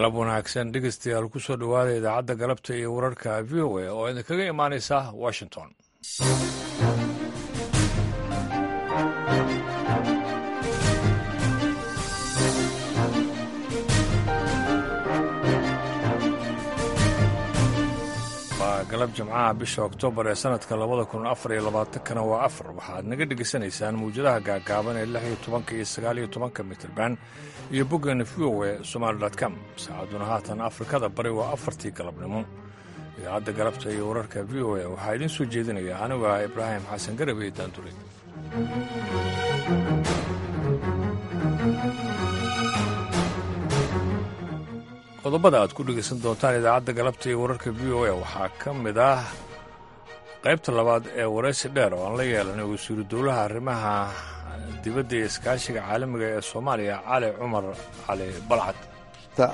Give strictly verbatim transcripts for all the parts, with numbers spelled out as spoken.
Galab wanaagsan, dhegeystayaal. Kusoo dhowaada idaacadda galabta iyo wararka V O A oo idinkaga imaanaysa Washington. Waa galab Jimcaha, bisha Oktoobar ee sanadka labada kun afar iyo labaatankana waa afar. Waxaad naga dhegeysanaysaan mawjadaha gaagaaban ee lix iyo tobanka iyo sagaal iyo tobanka mitirban iyo boggeena V O A Somaali dot com. Saacaduna haatan Afrikada Bari waa afartii galabnimo. Idaacadda galabta iyo wararka V O A waxaa idiin soo jeedinaya anigu ah Ibraahim Xasan Garabey Daandure. Qodobada aad ku dhegeysan doontaan idaacadda galabta iyo wararka V O A waxaa ka mid ah qaybta labaad ee waraysi dheer oo aan la yeelanay wasiiru dowlaha arrimaha dibadda iyo iskaashiga caalamiga ee Soomaaliya, Cali Cumar Cali Balcad.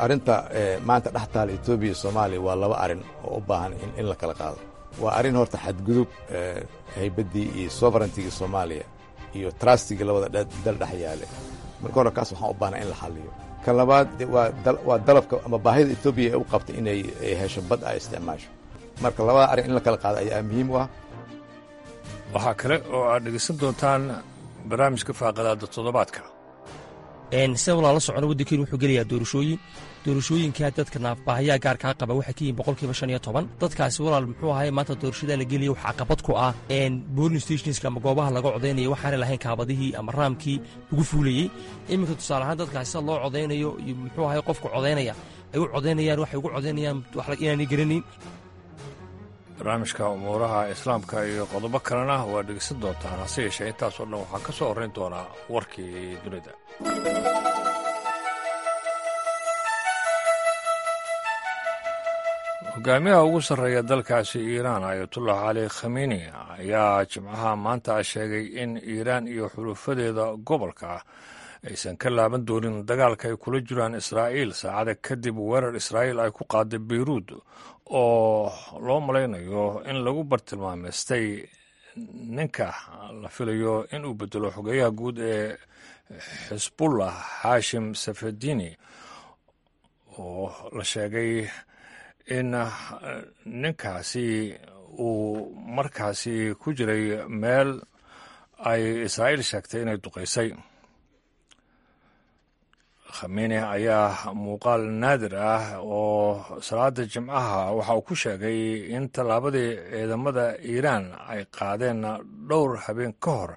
Arrinta maanta dhex taala Etoobiya iyo Soomaaliya waa laba arrin oo u baahan in la kala qaado. Waa arrin horta xadgudub haybaddii iyo sovereignty-gii Soomaaliya iyo trust-igii labada dal dhex yaale. Marka hore kaas waxaan u baahnaa in la xalliyo. Kan labaad waa dalabka ama baahida Etoobiya ee u qabtay inay hesho bad ay isticmaasho. Marka labada arrin in la kala qaado ayaa muhiim u ah. Waxaa kale oo aad dhegeysan doontaan barnaamijka faaqadaada toddobaadka. Sida walaala socono, waddankeenu wuxuu gelayaa doorashooyin. Doorashooyinkaa dadka naafbaahayaa gaarkaa qaba waxay ka yihiin boqolkiiba shan iyo toban. Dadkaasi, walaal, muxuu ahay, maanta doorashadaa la gelaya wax caqabad ku ah polling stations-ka ama goobaha laga codaynayo waxaanay lahayn kaabadihii ama ramp-kii lagu fuulayey. Iminka, tusaale ahaan, dadkaasi sida loo codaynayo iyo, muxuu ahay, qofka codaynaya ay u codaynayaan, waxay ugu codaynayaan inaanay garanayn. Barnaamijka umuuraha Islaamka iyo qodobo kalena waa dhegeysan doontaan, hase yeeshee intaasoo dhan waxaa ka soo horrayn doonaa warkii dunida. Hogaamiyaha ugu sarreeya dalkaasi Iiraan, Ayatullah Cali Khamenei, ayaa Jimcaha maanta sheegay in Iiraan iyo xulufadeeda gobolka aysan ka laaban doonin dagaalka ay kula jiraan Israa'iil, saacada kadib weerar Israa'iil ay ku qaaday Beyruud oo loo malaynayo in lagu bartilmaameystay ninka la filayo in uu bedelo xogeyaha guud ee Xisbullah, Xaashim Safedini, oo la sheegay in ninkaasi uu markaasi ku jiray meel ay Israa'iil sheegtay inay duqaysay. Khamenei ayaa muuqaal naadir ah oo salaada Jimcaha waxa uu ku sheegay in tallaabadii ciidamada Iiraan ay qaadeen dhowr habeen ka hor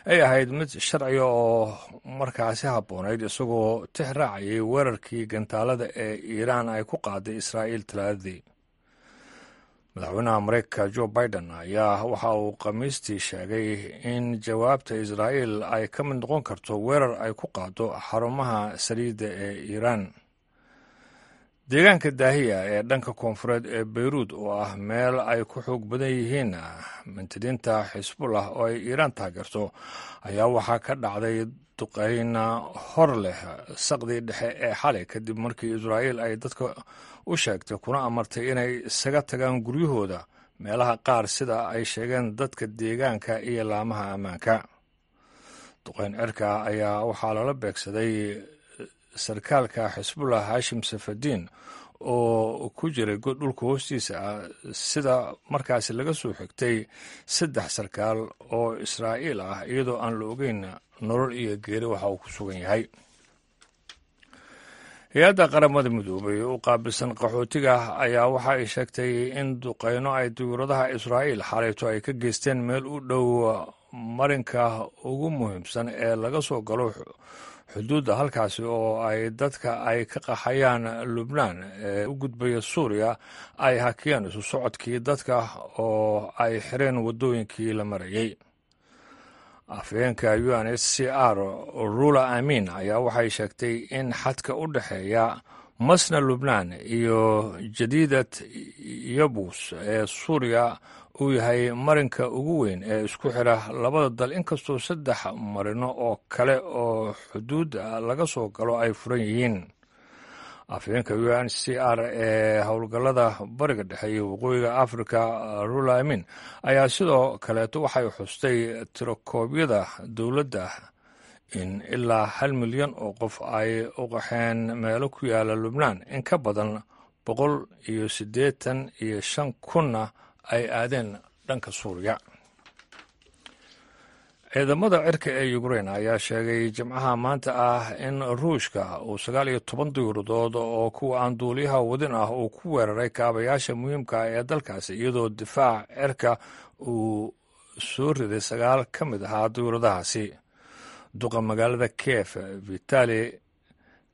ay ahayd mid sharciga oo markaasi habboonayd, isagoo tix raacayay weerarkii gantaalada ee Iiraan ay ku qaaday Israa'iil Talaadadii. Madaxweynaha Mareykanka Joe Biden ayaa waxa uu Khamiistii sheegay in jawaabta Israa'iil ay ka mid noqon karto weerar ay ku qaado xarumaha saliidda ee Iiraan. Deegaanka Daahiya ee dhanka koonfureed ee Beyruud, oo ah meel ay ku xoog badan yihiin mintidiinta Xisbullah oo ay Iiraan taageerto, ayaa waxaa ka dhacday duqeyn hor leh saqdii dhexe ee xalay, kadib markii Israa'iil ay dadka u sheegtay kuna amartay inay isaga tagaan guryahooda meelaha qaar, sida ay sheegeen dadka deegaanka iyo laamaha ammaanka. Duqeyn cirka ayaa waxaa lala beegsaday sarkaalka Xisbullah Haashim Safadiin oo ku jiray god dhulka hoostiisa ah, sida markaasi laga soo xigtay saddex sarkaal oo Israa'iil ah, iyadoo aan la ogeyn nolol iyo geeri waxa uu ku sugan yahay. Hay-adda Qaramada Midoobay u qaabilsan qaxootiga ayaa waxa ay sheegtay in duqeyno ay diyuuradaha Israa'iil xalayto ay ka geysteen meel u dhow marinka ugu muhiimsan ee laga soo galo xuduudda, halkaasi oo ay dadka ay ka qaxayaan Lubnaan ee u gudbaya Suuriya ay hakiyeen isu socodkii dadka oo ay xireen waddooyinkii la marayay. Afhayeenka U N H C R, Rula Amin, ayaa waxay sheegtay in xadka u dhexeeya Masna Lubnaan iyo Jadiidat Yabus ee Suuriya uu yahay marinka ugu weyn ee isku xira labada dal, inkastoo saddex marino oo kale oo xuduudda laga soo galo ay furan yihiin. Afhayeenka U N C R ee howlgallada Bariga Dhexe iyo Waqooyiga Africa, Rula Amin, ayaa sidoo kaleeto waxay xustay tirokoobyada dowladda in ilaa hal milyan oo qof ay u qaxeen meelo ku yaala Lubnaan, in ka badan boqol iyo siddeetan iyo shan kunna ay aadeen dhanka Suuriya. Ciidamada cirka ee Ukrein ayaa sheegay Jimcaha maanta ah in Ruushka uu sagaal iyo toban diyuuradood oo kuwa aan duuliyaha wadin ah uu ku weeraray kaabayaasha muhiimka ah ee dalkaasi, iyadoo difaac cirka uu soo riday sagaal ka mid ahaa diyuuradahaasi. Duqa magaalada Kiev, Vitali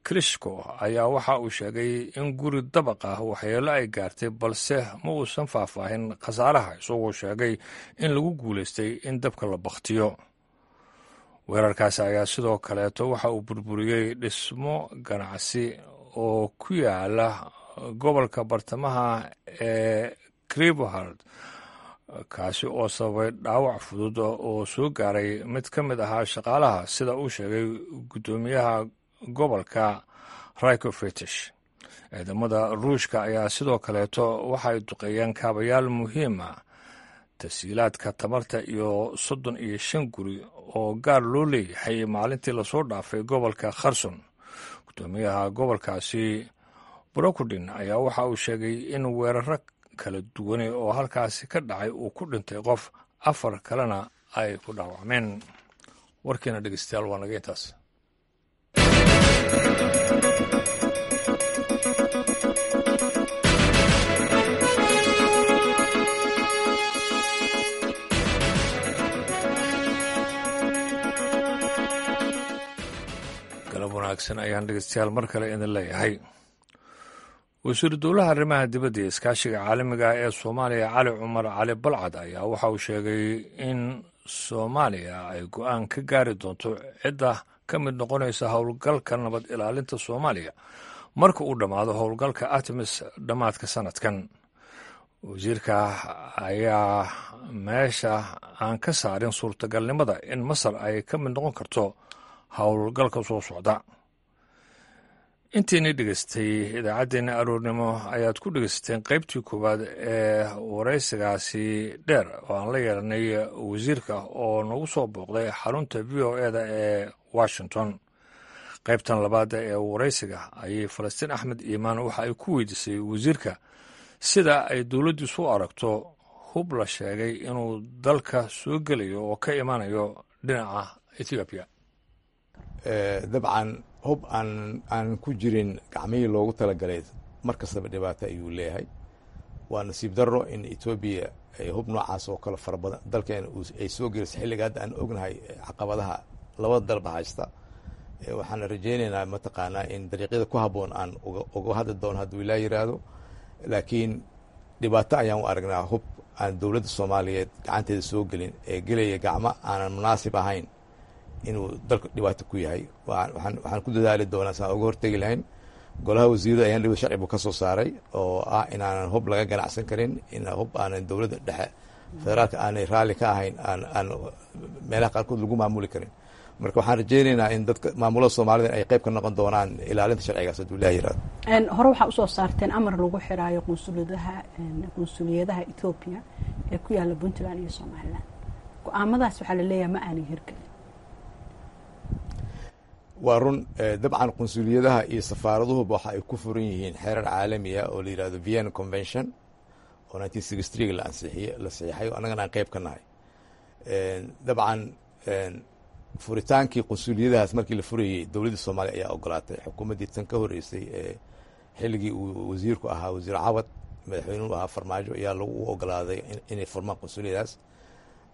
Klishko, ayaa waxa uu sheegay in guri dabaq ah waxyeelo ay gaartay, balse ma uusan faahfaahin khasaaraha, isagoo sheegay in lagu guulaystay in dabka la bakhtiyo. Weerarkaasi ayaa sidoo kaleeto waxa uu burburiyey dhismo ganacsi oo ku yaala gobolka bartamaha ee Krivohard, kaasi oo sababay dhaawac fudud oo soo gaaray mid ka mid ahaa shaqaalaha, sida uu sheegay guddoomiyaha gobolka Rykofetish. Ciidamada Ruushka ayaa sidoo kaleeto waxay duqeeyeen kaabayaal muhiima, tasiilaadka tamarta iyo soddon iyo shan guri oo gaar loo leeyahay maalintii lasoo dhaafay gobolka Kherson. Guddoomiyaha gobolkaasi Brokudin ayaa waxa uu sheegay in weeraro kala duwane oo halkaasi ka dhacay uu ku dhintay qof, afar kalena ay ku dhaawacmeen. Warkiina dhegeystayaal waa naga intaas. Galab wanaagsan ayaan dhegeystayaal mar kale idin leeyahay. Wasiiru dowlaha arrimaha dibadda iyo iskaashiga caalamiga ah ee Soomaaliya, Cali Cumar Cali Balcad, ayaa waxa uu sheegay in Soomaaliya ay go-aan ka gaari doonto cidda ka mid noqonaysa howlgalka nabad ilaalinta Soomaaliya marka uu dhammaado howlgalka ATMIS dhammaadka sanadkan. Wasiirka ayaa meesha aan ka saarin suurtagalnimada in Masar ay ka mid noqon karto howlgalka soo socda. Intiinii dhegeystay idaacaddeenna aroornimo ayaad ku dhegeysateen qaybtii koowaad ee waraysigaasi dheer oo aan la yeelanay wasiirka oo nagu soo booqday xarunta V O E da ee Washington. Qaybtan labaad ee waraysiga ayay Falastiin Axmed Iimaan waxa ay ku weydiisay wasiirka sida ay dowladdiisu u aragto hub la sheegay inuu dalka soo gelayo oo ka imaanayo dhinaca Ethiopia. Dabcan, hub aan aan ku jirin gacmihii loogu talagalay mar kastaba dhibaato ayuu leeyahay. Waa nasiib darro in Etoobiya ay hub noocaas oo kale fara badan dalkeena ay soo geliso xilliga hadda aan ognahay caqabadaha labada dalba haysta. Waxaan rajaynaynaa mataqaanaa in dariiqyada ku habboon aan uga hadli doono hadduu ilaa yiraahdo, laakiin dhibaato ayaan u aragnaa hub aan dowladda Soomaaliyeed gacanteeda soo gelin ee gelaya gacmo aanan munaasib ahayn inuu dalka dhibaato ku yahay. Waxaan ku dadaali doonaa saan uga hortegi lahayn. Golaha wasiirada ayaan dhibada sharci buu ka soo saaray oo ah inaanan hub laga ganacsan karin, in hub aanan dowladda dhexe federaalka aanay raalli ka ahayn aan aan meelaha qaarkood lagu maamuli karin. Marka waxaan rajaynaynaa in dadka maamulada Soomaalida ay qayb ka noqon doonaan ilaalinta sharcigaas hadduu Ilaah yiraahdo. Hore waxaa usoo saarteen amar lagu xiraayo qunsuliyadaha qunsuliyadaha Etoobiya ee ku yaala Puntland iyo Somaliland. Go-aamadaas waxaa la leeyahay ma aanay hirgelin. Waa run. Dabcan, qunsuliyadaha iyo safaaraduhuba waxa ay ku furan yihiin xeerar caalami ah oo la yihahdo Vienna Convention oo nineteen sixty three la ansixiye la saxiixay oo annagana aan qayb ka nahay. Dabcan, furitaankii qunsuliyadahaas markii la furayey dowladda Soomaaliya ayaa ogolaatay. Xukuumaddii tan ka horreysay ee xilligii uu wasiirku ahaa Wasiir Cawad, madaxweynuhu ahaa Farmaajo, ayaa lagu ogolaaday inay furmaan qunsuliyadaas.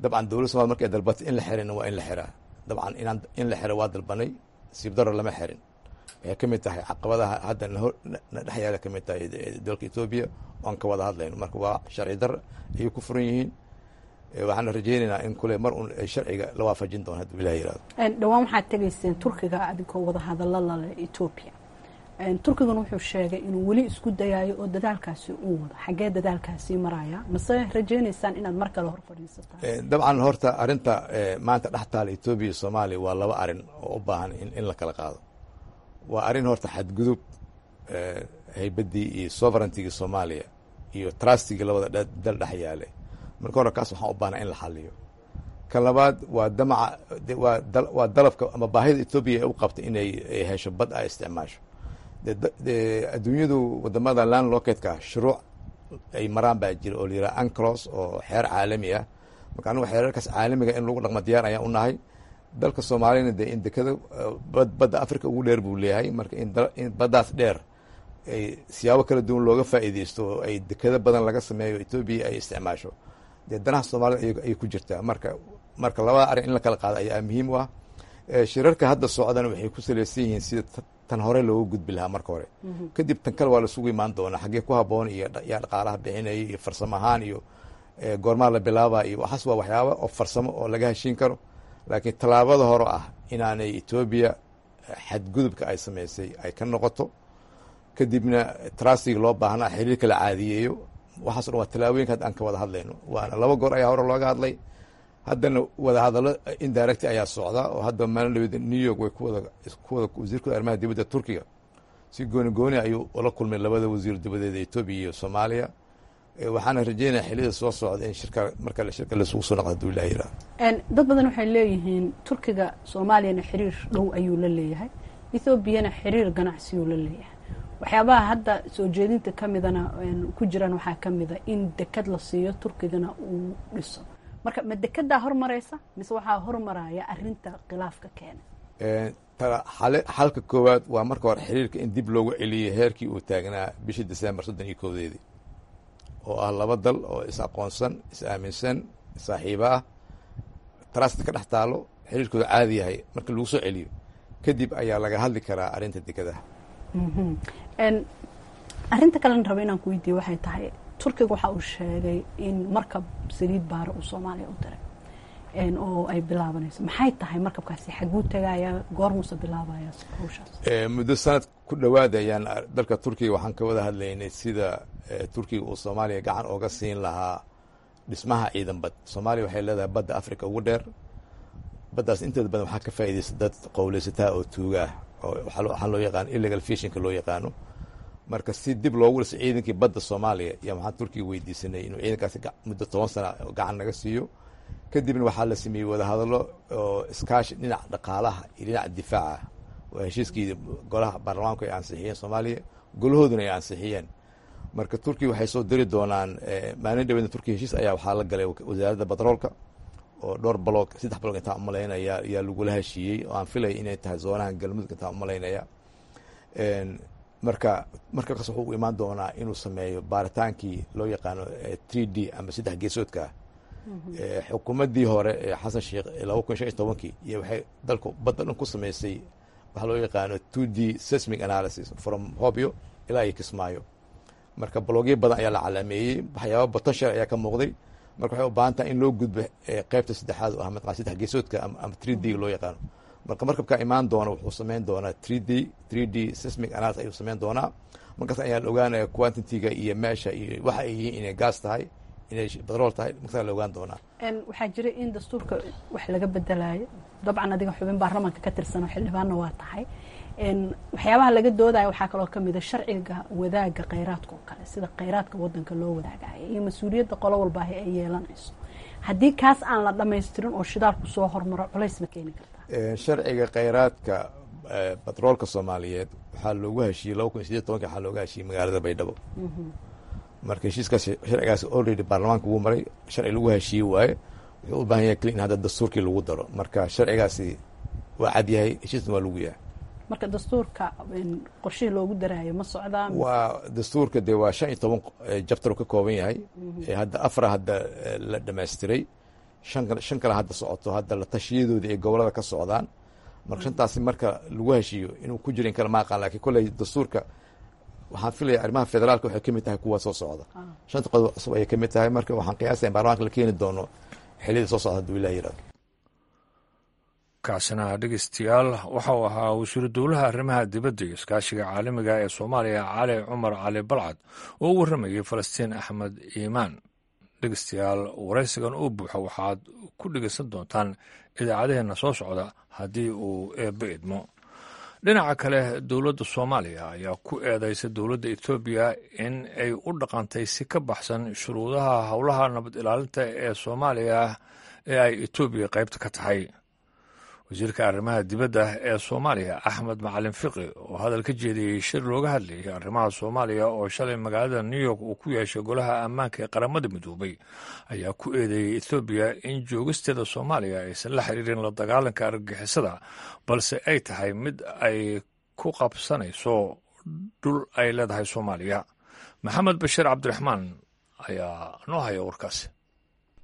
Dabcan, dowladda Somalia markay dalbatay in la xirina waa in la xiraa. Dabcan, inaan in la xiro waa dalbanay, nasiib darro lama xirin. Waxay ka mid tahay caqabadaha hadda na dhex yaala, ka mid tahay dalka Etoobiya oan ka wada hadlayno. Marka waa sharci dar ayay ku furan yihiin. Waxaana rajaynaynaa in kule mar un sharciga la waafajin doono hadduu Ilaah yiraahdo. Dhowaan waxaad tegayseen Turkiga adigoo wada hadallo lale Etoobiya. Turkiguna wuxuu sheegay inuu weli isku dayayo oo dadaalkaasi uu wado. Xaggee dadaalkaasi maraya? Mase rajaynaysaan inaad mar kale hor fadhiisataan? Dabcan, horta arrinta maanta dhex taala Etoobiya iyo Soomaaliya waa laba arrin oo u baahan in la kala qaado. Waa arrin horta xadgudub haybaddii iyo sovereigntigii Soomaaliya iyo trustigii labada dal dhex yaale. Marka hore kaas waxaan u baahnaa in la xaliyo. Kan labaad waa damaca, waa dalabka ama baahida Etoobiya ay u qabtay inay hesho bad ay isticmaasho. Adduunyadu wadamada landlockedka shuruuc ay maraan baa jira oo la yiraha UNCLOS, oo xeer caalami ah. Marka anigu xeerarkaas caalamiga in lagu dhaqmo diyaar ayaan u nahay. Dalka Soomaaliyana dee in dekada badda Africa ugu dheer buu leeyahay. Marka in baddaas dheer ay siyaabo kala duwan looga faa'iideysto oo ay dekado badan laga sameeyo, Etoobiya ay isticmaasho, dee danaha Soomaalida ayay ku jirtaa. Marka marka labada arrin in la kala qaado ayaa muhiim u ah. Shirarka hadda socdana waxay ku salaysan yihiin sida tan hore looga gudbi lahaa marka hore, kadib tan kale waa lasugu imaan doonaa, xaggee ku haboon iyo yaa dhaqaalaha bixinaya iyo farsamo ahaan iyo goormaa la bilaaba iyo waxaas waa waxyaaba oo farsamo oo laga heshiin karo. Laakiin tallaabada hore ah inaanay Etoobiya xadgudubka ay samaysay ay ka noqoto, kadibna trustiga loo baahnaa, xiriirka la caadiyeeyo, waxaaso dhan waa tallaabooyinka hadda aan ka wada hadlayno. Waana laba goor ayaa hore looga hadlay, haddana wada hadallo indirect ayaa socda oo hadda maalin dhaweed New York way kuwada kuwada wasiirkooda arrimaha dibadda Turkiga si gooni gooni ayuu ula kulmay labada wasiir dibadeeda Etoobiya iyo Soomaaliya. Waxaana rajeynaya xilliyada soo socda in shirka marka shirka laisugu soo noqdo, haduu Ilaah yiraahdo. Dad badan waxay leeyihiin Turkiga Soomaaliyana xiriir dhow ayuu la leeyahay, Ethoobiana xiriir ganacsiyuu la leeyahay. Waxyaabaha hadda soo jeedinta ka midana ku jiraan waxaa ka mida in dekad la siiyo, Turkigana uu dhiso. Marka ma dekedaa hormaraysa mise waxaa hormaraya arinta khilaafka keena? Xalka koowaad waa marka hore xiriirka in dib loogu celiyey heerkii uu taagnaa bishii December soddon iyo kowdeedii, oo ah laba dal oo is aqoonsan, is aaminsan, saaxiibo ah, trust ka dhex taalo, xiriirkooda caadi yahay. Marka lagu soo celiyo kadib ayaa laga hadli karaa arrinta dekadaha. Arrinta kalena raba inaan ku weydiiye waxay tahay, Turkiga waxa uu sheegay in markab saliid baara uu Soomaaliya u diray oo ay bilaabanayso. Maxay tahay markabkaasi? Xaguu tagaya? Goormuuse bilaabaya hawshaas? Muddo sanad ku dhowaad ayaan dalka Turkiga waxaan ka wada hadlaynay sida Turkiga uu Soomaaliya gacan ooga siin lahaa dhismaha ciidan bad. Soomaaliya waxay leedahay badda Africa ugu dheer. Baddaas inteeda badan waxaa ka faa'iidaysta dad qowleysataa oo tuuga ah, oo waxaa loo yaqaano illegal fishingka loo yaqaano. Marka si dib loogu dhiso ciidankii badda Soomaaliya iyo waxaan Turkiga weydiisanay inuu ciidankaasi muddo toban sana gacan naga siiyo. Kadibna waxaa la sameeyey wadahadallo oo iskaashi dhinaca dhaqaalaha iyo dhinaca difaaca, waa heshiiskii golaha baarlamaanku ay ansixiyeen Soomaaliya, golahooduna ay ansixiyeen. Marka Turkiya waxay soo diri doonaan maalin dhaweedna. Turkiya heshiis ayaa waxaa la galay wasaaradda batroolka oo dhowr block, saddex block intaan umalaynaya ayaa lagula heshiiyey, oo aan filaya inay tahay zoonaha Galmudug intaan umalaynaya. Marka markakaas wuxuu u imaan doonaa inuu sameeyo baaritaankii loo yaqaano three D ama saddex geesoodka ah. Xukuumaddii hore ee Xasan Sheekh laba kun shan iyo tobankii iyo waxay dalku badda dhan ku sameysay waxaa loo yaqaano two D seismic analysis from Hobyo ilaa iyo Kismaayo. Marka blockyo badan ayaa la calaameeyey, waxyaaba potential ayaa ka muuqday. Marka waxay u baahan tahay in loo gudbo qeybta saddexaad oo ah mataqan saddex geesoodka ama three D loo yaqaano. Marka markabkaa imaan doona wuxuu sameyn doonaa three D three D seismic analysis ayuu sameyn doonaa. Markaas ayaa la ogaanaya quantity-ga iyo meesha iyo waxa ay yihiin, inay gas tahay, inay batrool tahay, markaas la ogaan doonaa. Waxaa jira in dastuurka wax laga bedelayo. Dabcan adiga xubin baarlamaanka ka tirsan oo xildhibaanna waa tahay. Waxyaabaha laga doodaya waxaa kaloo kamid a sharciga wadaagga kheyraadka oo kale, sida kheyraadka wadanka loo wadaagayo iyo mas-uuliyadda qolo walbaahi ay yeelanayso. Haddii kaas aan la dhamaystirin oo shidaalku soo hormaro, culays ma keeni kartaa? Sharciga kheyraadka batroolka Soomaaliyeed waxaa loogu heshiiyey laba kun iyo sideed tobanki, waxaa looga heshiiyey magaalada Baydhabo. Marka heshiiskaas, sharcigaas already baarlamaanka wuu maray, sharci lagu heshiiye waaye. Wuxuu u baahan yahay keli in hadda dastuurkii lagu daro. Marka sharcigaasi waa cad yahay, heshiisna waa lagu yahay. Marka dastuurka qorshihii loogu daraayo ma socdaa? Waa dastuurka dee waa shan iyo toban chapter ka kooban yahay. Hadda afra hadda la dhamaystiray, shan shan kale hadda socoto, hadda la tashiyadoodii ay gobolada ka socdaan. Marka shantaasi marka lagu heshiiyo inuu ku jiro in kale ma aqaan, lakiin kolley dastuurka waxaan filaya arrimaha federaalka waxay kamid tahay kuwa soo socda, shanta qodob cusub ayay kamid tahay. Marka waxaan qiyaasaya in baarlamaanka la keeni doono xilliyada soo socda, haduu Ilah yirahdo. Kaasina dhegeystayaal waxa uu ahaa wasiiru dowlaha arrimaha dibadda iyo iskaashiga caalamiga ee Soomaaliya, Cali Cumar Cali Balcad, oo u warramayay Falastiin Axmed Iimaan. Dhegeystayaal, waraysigan uu buuxo waxaad ku dhegeysan doontaan idaacadaheenna soo socda haddii uu Eebbe idmo. Dhinaca kale, dowladda Soomaaliya ayaa ku eedeysay dowladda Etoobiya in ay u dhaqantay si ka baxsan shuruudaha howlaha nabad ilaalinta ee Soomaaliya ee ay Etoobiya qaybta ka tahay. Wasiirka arrimaha dibadda ee Soomaaliya, Axmed Macalin Fiqi, oo hadal ka jeediyey shir looga hadlayay arrimaha Soomaaliya oo shalay magaalada New York uu ku yeeshay Golaha Ammaanka ee Qaramada Midoobay, ayaa ku eedeeyey Etoobiya in joogisteeda Soomaaliya aysan la xiriirin la dagaalanka argagixisada, balse ay tahay mid ay ku qabsanayso dhul ay leedahay Soomaaliya. Maxamed Bashiir Cabdiraxmaan ayaa noo haya warkaasi.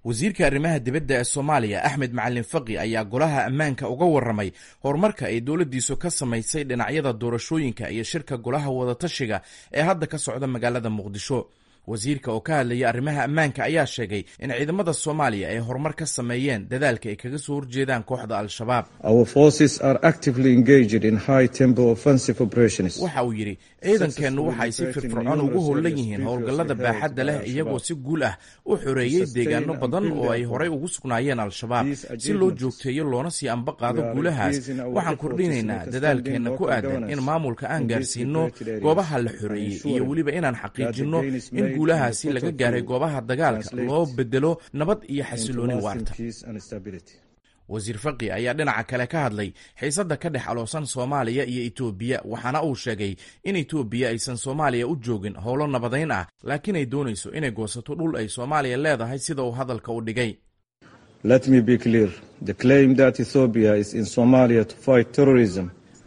Wasiirka arrimaha dibadda ee Soomaaliya, Axmed Macalin Faqi, ayaa Golaha Ammaanka uga warramay horumarka ay dowladdiisu ka samaysay dhinacyada doorashooyinka iyo shirka Golaha Wadatashiga ee hadda ka socda magaalada Muqdisho. Wasiirka oo ka hadlaya arrimaha ammaanka ayaa sheegay in ciidamada Soomaaliya ay horumar ka sameeyeen dadaalka ay kaga soo horjeedaan kooxda Al-Shabaab. Waxa uu yidhi: "Ciidankeennu waxay si firfircoon ugu howlan yihiin howlgallada baaxadda leh, iyagoo si guul ah u xoreeyey deegaano badan oo ay horey ugu sugnaayeen Al-Shabaab. Si loo joogteeyo loona sii amba qaado guulahaas, waxaan kordhinaynaa dadaalkeenna ku aadan in maamulka aan gaarsiino goobaha la xoreeyey iyo weliba inaan xaqiijinno in guulahaasi laga gaaray goobaha dagaalka loo bedelo nabad iyo xasilooni waarta." Wasiir Faqi ayaa dhinaca kale ka hadlay xiisadda ka dhex aloosan Soomaaliya iyo Itoobiya, waxaana uu sheegay in Itoobiya aysan Soomaaliya u joogin howlo nabadayn ah, laakiin ay doonayso inay goosato dhul ay Soomaaliya leedahay, sida uu hadalka u dhigay.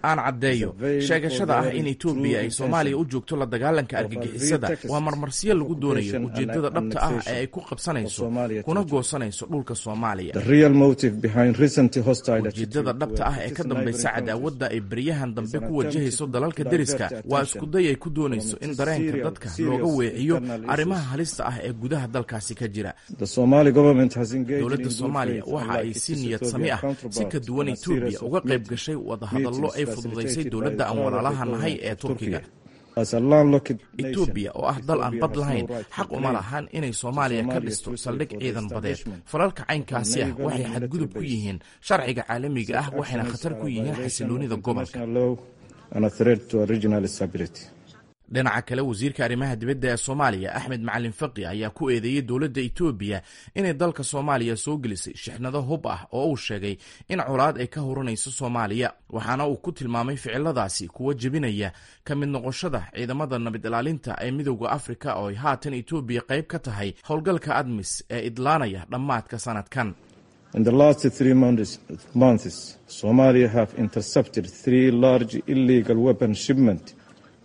"Aan caddeeyo, sheegashada ah in Etoobiya ay Soomaaliya u joogto la dagaalanka argagixisada waa marmarsiyo lagu doonayo ujeeddada dhabta ah ee ay ku qabsanayso kuna goosanayso dhulka Soomaaliya. Ujeeddada dhabta ah ee ka dambaysa cadaawadda ay beryahan dambe ku wajahayso dalalka deriska waa iskuday ay ku doonayso in dareenka dadka looga weeciyo arrimaha halista ah ee gudaha dalkaasi ka jira. Dowladda Soomaaliya waxa ay si niyad sami ah, si ka duwan Etoobiya, uga qayb gashay wadahadallo ay fududaysay dowladda aan walaalaha nahay ee Turkiga. Etoobiya oo ah dal aan bad lahayn xaq uma lahan inay Soomaaliya ka dhisto saldhig ciidan badeed. Falalka caynkaasi ah waxay xadgudub ku yihiin sharciga caalamiga ah, waxayna khatar ku yihiin xasiloonida gobolka." Dhinaca kale, wasiirka arrimaha dibadda ee Soomaaliya, Axmed Macalin Faqi, ayaa ku eedeeyey dowladda Etoobiya inay dalka Soomaaliya soo gelisay shixnado hub ah oo uu sheegay in colaad ay ka hurinayso Soomaaliya, waxaana uu ku tilmaamay ficiladaasi kuwa jebinaya ka mid noqoshada ciidamada nabad ilaalinta ee Midowda Afrika, oo ay haatan Etoobiya qayb ka tahay howlgalka ADMIS ee idlaanaya dhammaadka sanadkan. In the last three months, months, Somalia have intercepted three large illegal weapon shipment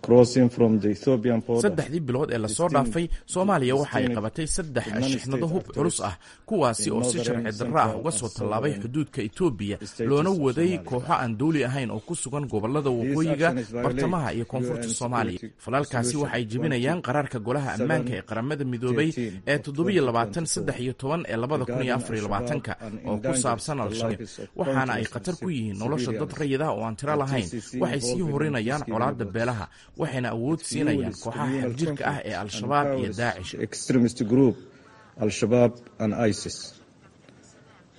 crossing from the Ethiopian border. Saddexdii bilood ee lasoo dhaafay, Soomaaliya waxa ay qabatay saddex shixnado hub culus ah, kuwaasi oo si sharci darro ah uga soo tallaabay xuduudka Etoobiya, loona waday kooxo aan dowli ahayn oo ku sugan gobollada waqooyiga, bartamaha iyo koonfurta Soomaaliya. Falalkaasi waxay jebinayaan qaraarka Golaha Ammaanka ee Qaramada Midoobay ee toddobiyo labaatan saddex iyo toban ee labada kun iyo afar iyo labaatanka oo ku saabsan Al-Shabaab, waxaana ay khatar ku yihiin nolosha dad rayid ah oo aan tiro lahayn. Waxay sii horinayaan colaadda beelaha, waxayna awood siinayaan kooxaha xagjirka ah ee Al-Shabaab iyo Daacish. Extremist group Al-Shabaab and ISIS.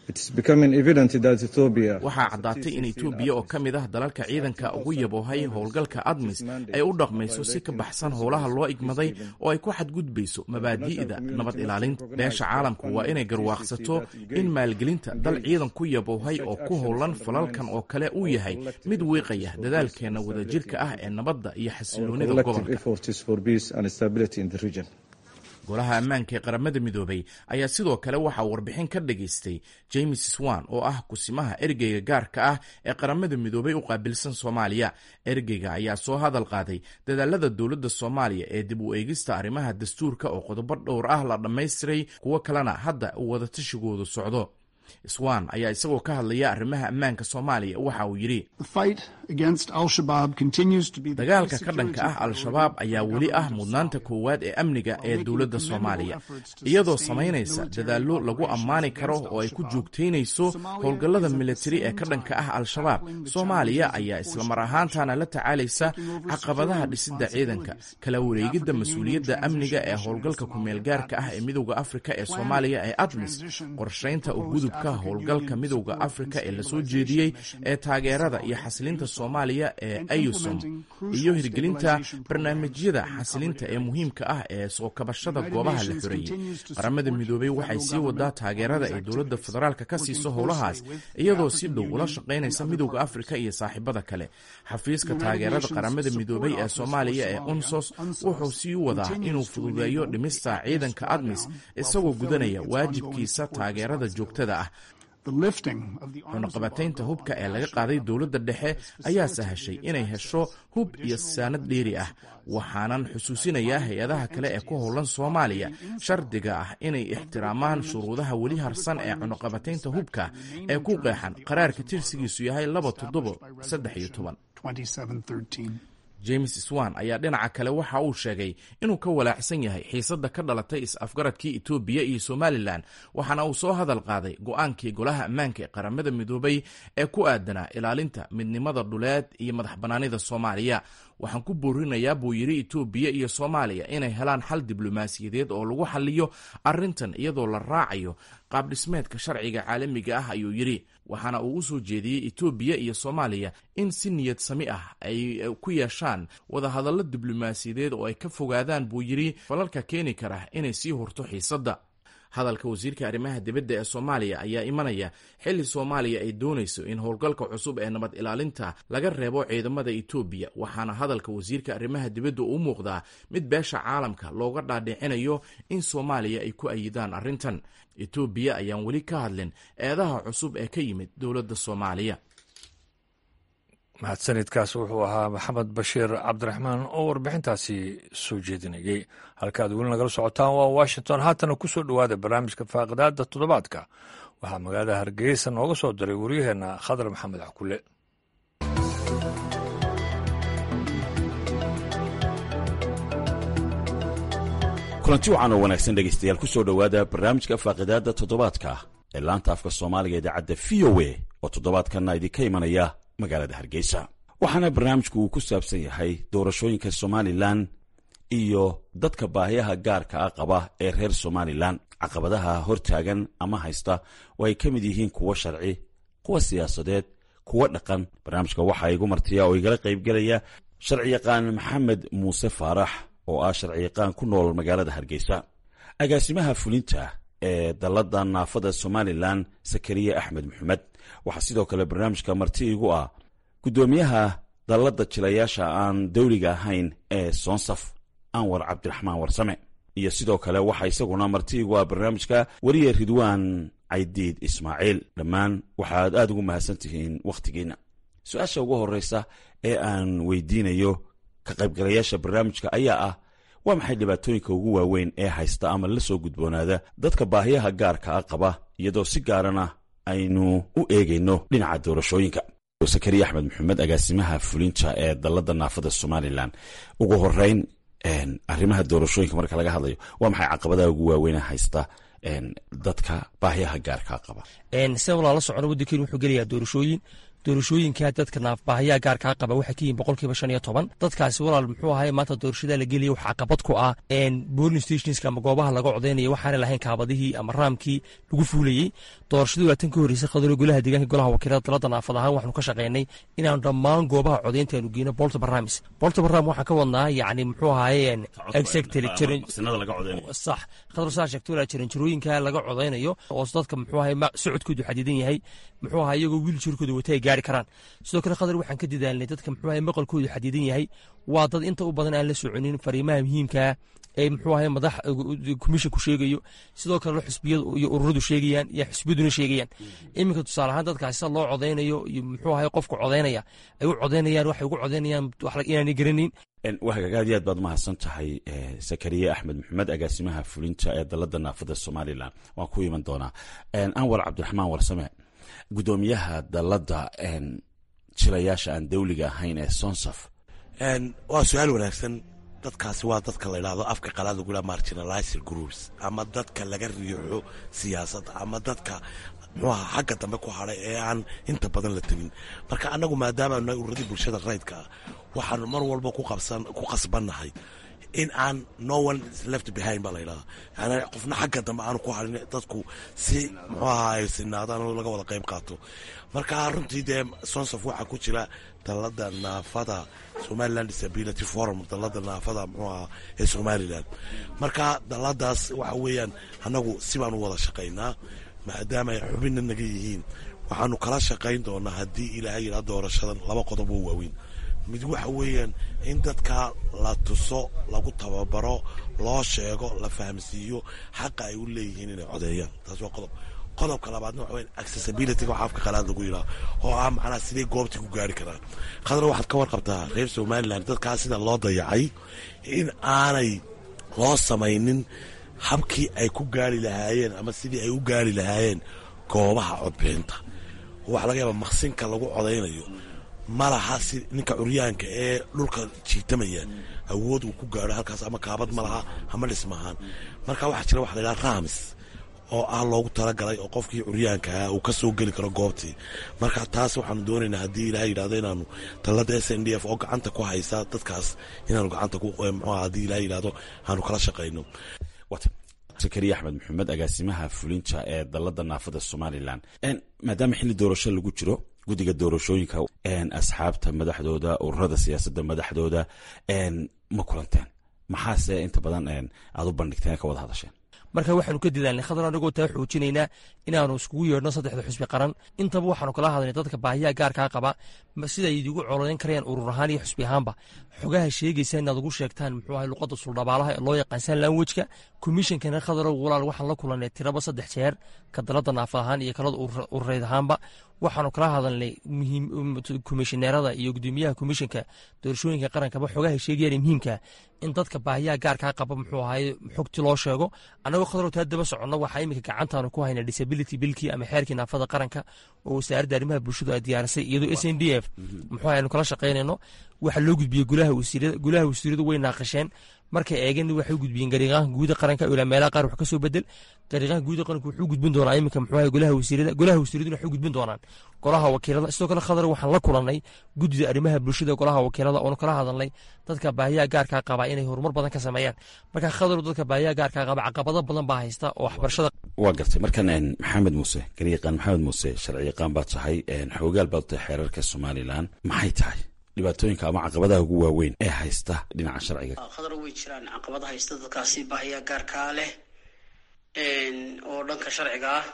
It is becoming evident that Ethiopia Waxaa caddaatay in Etoobiya oo ka mid ah dalalka ciidanka ugu yaboohay howlgalka ADMIS ay u dhaqmayso si ka baxsan howlaha loo igmaday oo ay ku xadgudbayso mabaadi'da nabad ilaalinta. Beesha caalamku waa inay garwaaqsato in maalgelinta dal ciidan ku yaboohay oo ku howlan falalkan oo kale uu yahay mid wiiqaya dadaalkeenna wadajirka ah ee nabadda iyo xasiloonida collective gobolka. efforts for peace and stability in the region. Golaha Ammaanka ee Qaramada Midoobay ayaa sidoo kale waxaa warbixin ka dhageystay James Swan, oo ah kusimaha ergeyga gaarka ah ee Qaramada Midoobay u qaabilsan Soomaaliya. Ergeyga ayaa soo hadal qaaday dadaalada dowladda Soomaaliya ee dib u eegista arrimaha dastuurka, oo qodobo dhowr ah la dhammaystiray, kuwo kalena hadda uu wadatashigoodu socdo. Swan ayaa isagoo ka hadlaya arrimaha ammaanka Soomaaliya waxa uu yidhi: "Dagaalka ka dhanka ah Al-Shabaab ayaa weli ah mudnaanta koowaad ee amniga ee dowladda Soomaaliya. Iyadoo samaynaysa dadaallo lagu ammaani karo oo ay ku joogtaynayso howlgallada militari ee ka dhanka ah Al-Shabaab, Soomaaliya ayaa islamar ahaantana la tacaalaysa caqabadaha dhisidda ciidanka, kala wareegidda mas-uuliyadda amniga ee howlgalka kumeelgaarka ah ee Midowda Afrika ee Soomaaliya ee ADMIS, qorshaynta u gudubka qodobka howlgalka Midowda Afrika ee lasoo jeediyey ee taageerada iyo xasilinta Soomaaliya ee AUSSOM iyo hirgelinta barnaamijyada xasilinta ee muhiimka ah ee soo kabashada goobaha la xoreeyey. Qaramada Midoobay waxay sii wadaa taageerada ay dowladda federaalka ka siiso howlahaas, iyadoo si dhow ula shaqaynaysa Midowda Afrika iyo saaxiibada kale. Xafiiska taageerada Qaramada Midoobay ee Soomaaliya ee UNSOS wuxuu sii wadaa inuu fududeeyo dhimista ciidanka ADMIS, isagoo gudanaya waajibkiisa taageerada joogtada ah. Cunaqabataynta hubka ee laga qaaday dowladda dhexe ayaa sahashay inay hesho hub iyo saanad dheeri ah. Waxaanan xusuusinayaa hay-adaha kale ee ku howlan Soomaaliya shardiga ah inay ixtiraamaan shuruudaha weli harsan ee cunaqabataynta hubka ee ku qeexan qaraarka tirsigiisu yahay laba toddobo saddex iyo toban. James Swan ayaa dhinaca kale waxa uu sheegay inuu ka walaacsan yahay xiisadda ka dhalatay is-afgaradkii Itoobiya iyo Somalilan, waxaana uu soo hadal qaaday go-aankii Golaha Ammaanka ee Qaramada Midoobay ee ku aadanaa ilaalinta midnimada dhuleed iyo madax bannaanida Soomaaliya. Waxaan ku boorinayaa, buu yidhi, Itoobiya iyo Soomaaliya inay helaan xal diblomaasiyadeed oo lagu xaliyo arrintan, iyadoo la raacayo qaabdhismeedka sharciga caalamiga ah, ayuu yidhi. Waxaana uu u soo jeediyey Itoobiya iyo Soomaaliya in si niyad sami ah ay ku yeeshaan wadahadallo diblomaasiyadeed oo ay ka fogaadaan, buu yidhi, falalka keeni kara inay sii hurto xiisadda. Hadalka wasiirka arrimaha dibadda ee Soomaaliya ayaa imanaya xilli Soomaaliya ay doonayso in howlgalka cusub ee nabad ilaalinta laga reebo ciidamada Itoobiya, waxaana hadalka wasiirka arrimaha dibadda uu muuqdaa mid beesha caalamka looga dhaadhicinayo in Soomaaliya ay ku ayidaan arrintan. Itoobiya ayaan weli ka hadlin eedaha cusub ee ka yimid dowladda Soomaaliya. Mahadsanidkaas wuxuu ahaa Maxamed Bashiir Cabdiraxmaan oo warbixintaasi soo jeedinayey. Halka aad weli nagala socotaan waa Washington. Haatana ku soo dhowaada barnaamijka faaqidaada toddobaadka. Waxaa magaalada Hargeysa nooga soo diray waryaheenna Khadar Maxamed Cakule. Kulanti wacan oo wanaagsan dhegaystayaal, ku soo dhowaada barnaamijka faaqidaadda toddobaadka ee laanta afka Soomaaliga idaacadda V O A oo toddobaadkanna idinka imanaya magaalada Hargeysa. Waxaana barnaamijku uu ku saabsan yahay doorashooyinka Somalilan iyo dadka baahiyaha gaarka ah qaba ee reer Somalilan, caqabadaha hortaagan ama haysta oo ay ka mid yihiin kuwo sharci, kuwa siyaasadeed, kuwo dhaqan. Barnaamijka waxaa igu martiya oo igala qaybgelaya sharciyaqaan Maxamed Muuse Faarax oo ah sharciyaqaan ku nool magaalada Hargeysa, agaasimaha fulinta ee dalladda naafada Somalilan Sakariya Axmed Maxamed. Waxaa sidoo kale barnaamijka marti igu ah guddoomiyaha dalladda jilayaasha aan dawliga ahayn ee Soonsaf, Anwar Cabdiraxmaan Warsame, iyo sidoo kale waxaa isaguna marti igu ah barnaamijka weriye Ridwaan Caydiid Ismaaciil. Dhammaan waxaad aad ugu mahadsan tihiin wakhtigiinna. Su-aasha ugu horreysa ee aan weydiinayo ka qaybgalayaasha barnaamijka ayaa ah: waa maxay dhibaatooyinka ugu waaweyn ee haysta ama la soo gudboonaada dadka baahiyaha gaarka ah qaba, iyadoo si gaarana aynu u eegayno dhinaca doorashooyinka? Sakariya Axmed Maxamed, agaasimaha fulinta ee dalladda naafada Somalilan, ugu horeyn arrimaha doorashooyinka marka laga hadlayo, waa maxay caqabadaha ugu waaweyn haysta dadka baahiyaha gaarkaa qaba? Sida walaala socono, waddankeenu wuxuu gelayaa doorashooyin. Doorashooyinka dadka naafbaahayaa gaarkaa qaba waxay ka yihiin boqolkiiba shan iyo toban. Dadkaasi walaal muxuu ahay maanta doorashada la gelaya wax caqabad ku ah polling stationska ama goobaha laga codaynaya waxaana lahayn kaabadihii ama raamkii lagu fuulayey. Doorashadii waa tan ka horreysay, Khadaro, golaha deegaanka, golaha wakiilada, dalada naafad ahaan waxaanu ka shaqeynay inaanu dhammaan goobaha codaynta aanu geyno bolta barnaamij. Bolta barnaamij waxaan ka wadnaa yacni muxuu ahaye exactly sax, Khadar, saa sheegto walaa, jaranjarooyinka laga codaynayo oo dadka muxuu ahaye socodkoodu xadidan yahay muxuu ahaye iyagoo wiiljarkooda wata ay gaari karaan. Sidoo kale, Khadar, waxaan ka dadaalnay dadka muxuu ahaye maqalkoodu xadidan yahay, waa dad inta u badan aan la soconin fariimaha muhiimkaa ee muxuu ahaye madax commissionku sheegayo, sidoo kalena xisbiyadu iyo ururadu sheegayaan iyo xisbiyaduna sheegayaan. Iminka tusaale ahaan dadkaasi sida loo codaynayo iyo muxuu ahaye qofka codaynaya ay u codaynayaan, waxay ugu codaynayaan wax inaanay garanayn. Waa hagaag, aad iyo aad baad mahadsan tahay Sakariye Axmed Maxamed, agaasimaha fulinta ee dalladda naafada Somalilan. Waan ku iman doonaa. Anwar Cabdiraxmaan Warsame, guddoomiyaha dalladda jilayaasha aan dawliga ahayn ee Sonsaf. Waa su-aal wanaagsan. Dadkaasi waa dadka la idhaahdo afka qalaad lagu dhaha marginalized groups, ama dadka laga riixo siyaasadda, ama dadka muxuu ahaa xagga dambe ku hadhay ee aan inta badan la tegin. Marka annagu maadaama nahay ururadii bulshada rayidka ah, waxaanu mar walba ku qabsan ku qasbannahay In aan no one is left behind baa la yidhahdaa, yani qofna xagga dambe aanu ku harin, dadku si muxuu ahaa ay sinaadaan oo laga wada qayb qaato. Marka runtii dee SONSAF waxaa ku jira dalada naafada Somaliland Disability Forum, dalada naafada muxuu ahaa ee Somaliland. Marka daladaas waxa weeyaan annagu si baanu wada shaqaynaa, maadaama ay xubinna naga yihiin. Waxaanu kala shaqayn doonaa haddii Ilaahay yidhaa doorashadan laba qodob oo waaweyn. Mid waxa weeyaan in dadka la tuso, lagu tababaro, loo sheego, la fahamsiiyo xaqa ay u leeyihiin inay codeeyaan. Taas waa qodob. Qodobka labaadna waxa weyan accessibility-ga, waxa afka qalaad lagu yidhaha, oo ah macnaha sidee goobtii ku gaari karaan. Khadra, waxaad ka warqabtaa reer Somaliland dadkaas sida loo dayacay, in aanay loo samaynin habkii ay ku gaari lahaayeen ama sidii ay u gaari lahaayeen goobaha codbixinta. Waxaa laga yaabaa maqsinka lagu codaynayo ma laha si ninka curyaanka ee dhulka jiitamaya awood uu ku gaaro halkaas, ama kaabad ma laha ama dhismahaan. Marka waxaa jira waxa la yidhaha ramps oo ah loogu talagalay oo qofkii curyaanka ah uu ka soo geli karo goobtii. Marka taas waxaanu doonaynaa haddii Ilahay yidhahdo inaanu talada S N D F oo gacanta ku haysa dadkaas inaanu gacanta ku muxuu haddii Ilahay yidhahdo aanu kala shaqayno. Sakariya Axmed Maxamed, agaasimaha fulinta ee dalada naafada Somaliland, maadaama xilli doorasho lagu jiro, guddiga doorashooyinka, asxaabta madaxdooda, ururada siyaasadda madaxdooda ma kulanteen? Maxaase inta badan aad u bandhigteen, ka wada hadasheen? Marka waxaanu ka dadaalnay, Khadar, anagoo taa xoojinaynaa, inaanu iskugu yeedhno saddexda xusbi qaran. Intaba waxaanu kala hadalnay dadka baahiyaha gaarkaa qaba sida ay idigu cololeyn karayaan urur ahaan iyo xusbi ahaanba. Xogaha sheegaysa inaad ugu sheegtaan muxuu ahay luqadda suldhabaalaha ee loo yaqaan sign language-ka. Komishinkana, Khadarow walaal, waxaan la kulannay tiraba saddex jeer, ka dalada naafa ahaan iyo kalada urureyd ahaanba. Waxaanu kala hadalnay komishineerada iyo gudoomiyaha komishinka doorashooyinka qarankaba xogaha sheegayaan muhiimka in dadka baahiyaha gaarkaa qaba muxuu ahay xogti loo sheego. Annagoo, Khadarow, taa daba soconno, waxaa iminka gacantaanu ku haynaa disability bill-kii ama xeerkii naafada qaranka oo wasaaradda arrimaha bulshadu ay diyaarisay, iyadoo S N D F muxuu ahay aynu kala shaqaynayno. Waxaa loo gudbiyey golaha wasiirada. Golaha wasiiradu way naaqasheen. Markay eegeen, waxay u gudbiyeen gariiqaanka guuda qaranka ilaa meelaha qaar wax ka soo bedel. Gariiqaanka guuda qaranka wuxuu gudbin doonaa iminka muxuu ahay golaha wasiirada. Golaha wasiiraduna waxay u gudbin doonaan golaha wakiilada. Sidoo kale, Khadar, waxaan la kulannay guddida arrimaha bulshada golaha wakiilada oonu kala hadalnay dadka baahiyaha gaarkaa qaba inay horumar badan ka sameeyaan. Marka, Khadar, dadka baahiyaha gaarkaa qaba caqabado badan baa haysta oo waxbarashada. Waa gartay. Markan Maxamed Muuse, gariiqaan Maxamed Muuse, sharciyaqaan baad tahay, xoogaal baad tahay xeerarka Somaliland. Maxay tahay dhibaatooyinka ama caqabadaha ugu waaweyn ee haysta dhinaca sharciga? Khadar, way jiraan caqabada haysta dadkaasi baahiyaha gaarkaa leh oo dhanka sharciga ah.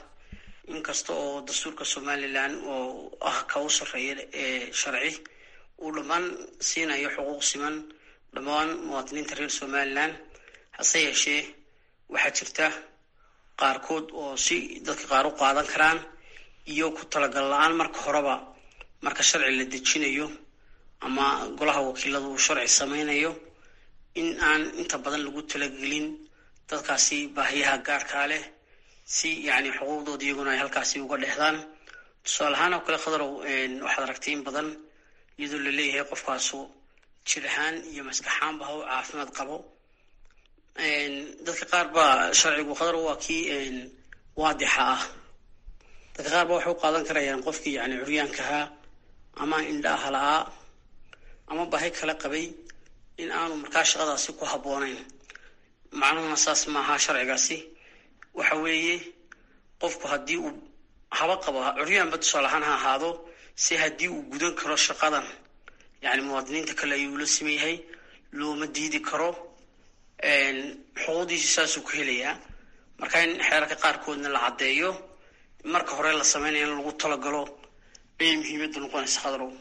Inkasta oo dastuurka Somaliland oo ah ka u sarreeya ee sharci uu dhammaan siinayo xuquuq siman dhammaan muwaadiniinta reer Somaliland, hase yeeshee waxaa jirta qaarkood oo si dadka qaar u qaadan karaan iyo ku talagal la-aan marka horeba. Marka sharci la dejinayo ama golaha wakiilada uu sharci sameynayo, in aan inta badan lagu talagelin dadkaasi baahiyaha gaarkaa leh si yacni xuquuqdooda iyaguna ay halkaasi uga dhexdaan. Tusaale ahaan oo kale, Khadarow, waxaad aragtay in badan iyadoo laleeyahay qofkaasu jir ahaan iyo maskaxaanba ha u caafimaad qabo. Dadka qaar baa sharcigu, Khadarow, waa kii waadixa ah. Dadka qaar ba waxay u qaadan karayaan qofkii yani curyaankahaa ama indhaha la-aa ama baahi kala qabay in aanu markaa shaqadaasi ku habboonayn. Macnuhuna saas maaha. Sharcigaasi waxa weeye qofku haddii uu haba qabo curyaanba, tusaale ahaan ha ahaado, si haddii uu gudan karo shaqadan, yani muwaadiniinta kale ayuu la siman yahay, looma diidi karo, xuquuqdiisi saasuu ku helayaa. Marka in xeerarka qaarkoodna la caddeeyo marka hore la sameynaya in lagu talagalo ayay muhiimadda noqonaysa, Khadrow.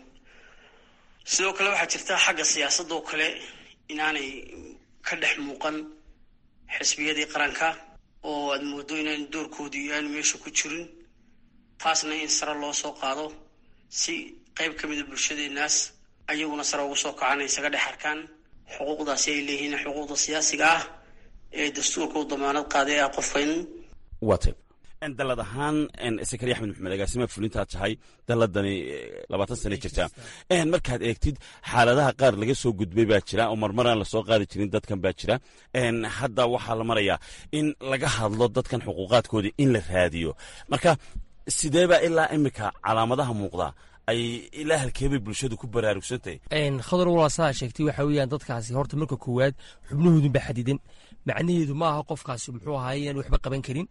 Sidoo kale waxaa jirta xagga siyaasadda oo kale inaanay ka dhex muuqan xisbiyadii qaranka, oo aad moodo inaan doorkoodii aanu meesha ku jirin. Taasna in sare loo soo qaado si qayb ka mida bulshadeenaas ayaguna sare ugu soo kacaan, isaga dhex arkaan xuquuqdaasi ay leeyihiin, xuquuqda siyaasiga ah ee dastuurka u damaanad qaaday ah qofka in Waa tay. Dalad ahaan, Sakariya Axmed Maxamed, agaasimaha fulintaad tahay, daladani labaatan sane jirtaa. Markaad eegtid xaaladaha qaar laga soo gudbay baa jira oo marmaraan lasoo qaadi jirin dadkan baa jira. Hadda waxaa la marayaa in laga hadlo dadkan xuquuqaadkoodii in la raadiyo. Marka sidee baa ilaa imika calaamadaha muuqda Ay ilaa halkeebay bulshadu ku baraarugsantahay? Khadar, walaa saa sheegtay, waxa weeyaan dadkaasi horta marka koowaad xubnahoodun baa xadidan. Macnaheedu ma aha qofkaasi muxuu ahaay inaan waxba qaban karin.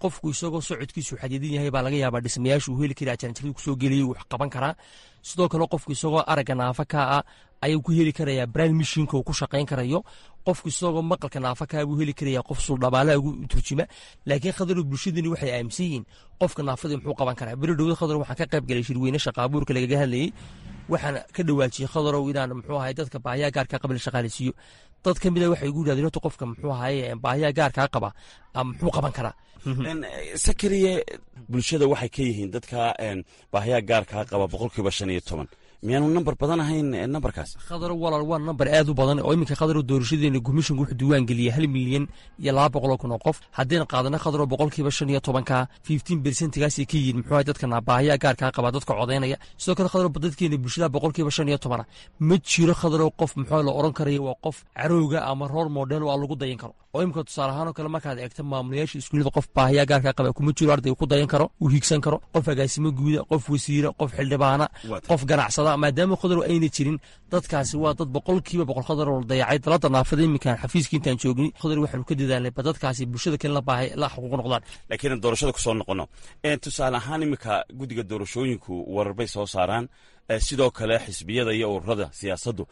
Qofku isagoo socodkiisu xadidan yahay baa laga yaabaa dhismayaashu uu heli karaa, jaranjaradu kusoo geliyay, wax qaban karaa. Sidoo kale qofku isagoo aragga naafa ka ah ayuu ku heli karayaa braille machineka uu ku shaqayn karayo. Qofku isagoo maqalka naafa kaa buu heli karayaa qof suldhabaalaha ugu turjima. Laakiin Khadar, bulshadani waxay aaminsan yihiin qofka naafadii muxuu qaban karaa? Beri dhowda, Khadar, waxaan ka qayb galay shirweyne shaqaabuurka lagaga hadlayey. Waxaan ka dhawaajiyey, Khadarow, inaan muxuu ahay dadka baahiyaha gaarka qaba la shaqaaleysiiyo. Dad ka mida waxay igu yidhahdeen, horta qofka muxuu ahaye baahiyaha gaarkaa qaba muxuu qaban karaa? Sakariye, bulshada waxay ka yihiin dadka baahiyaha gaarkaa qaba boqolkiiba shan iyo toban. Miyaanu nambar badan ahayn nambarkaas? Khadar walaal, waa nambar aad u badan oo iminka, Khadar, doorashadeena commissionku wuxuu diiwaan geliyey hal milyan iyo laba boqol oo kun oo qof. Haddayna qaadano, Khadaro, boqolkiiba shan iyo tobanka, fifteen percentgaasay ka yihiin muxuu ahay dadka baahiyaha gaarkaa qaba dadka codaynaya. Sidoo kale, Khadaro, dadkeena bulshada boqolkiiba shan iyo tobana ma jiro, Khadaro, qof muxuu la oran karayo waa qof carowga ama role model waa lagu dayan karo. Oo imika tusaale ahaan oo kale markaad eegto maamulayaasha iskuullada, qof baahiyaha gaarkaa qaba kuma jiro ardayga ku dayan karo, uu hiigsan karo, qof agaasimo guuda, qof wasiira, qof xildhibaana, qof ganacsada. Maadaama, Khadar, ayna jirin, dadkaasi waa dad boqolkiiba boqol, Khadar, oo dayacay dalada naafada. Iminkaan xafiiska intaan joogni, Khadar, waxaanu ka dadaalnay ba dadkaasi bulshada kale la baahay la xuquuq noqdaan. Laakiin doorashada kusoo noqono. Tusaale ahaan iminka guddiga doorashooyinku warar bay soo saaraan, sidoo kale xisbiyada iyo ururada siyaasaddu,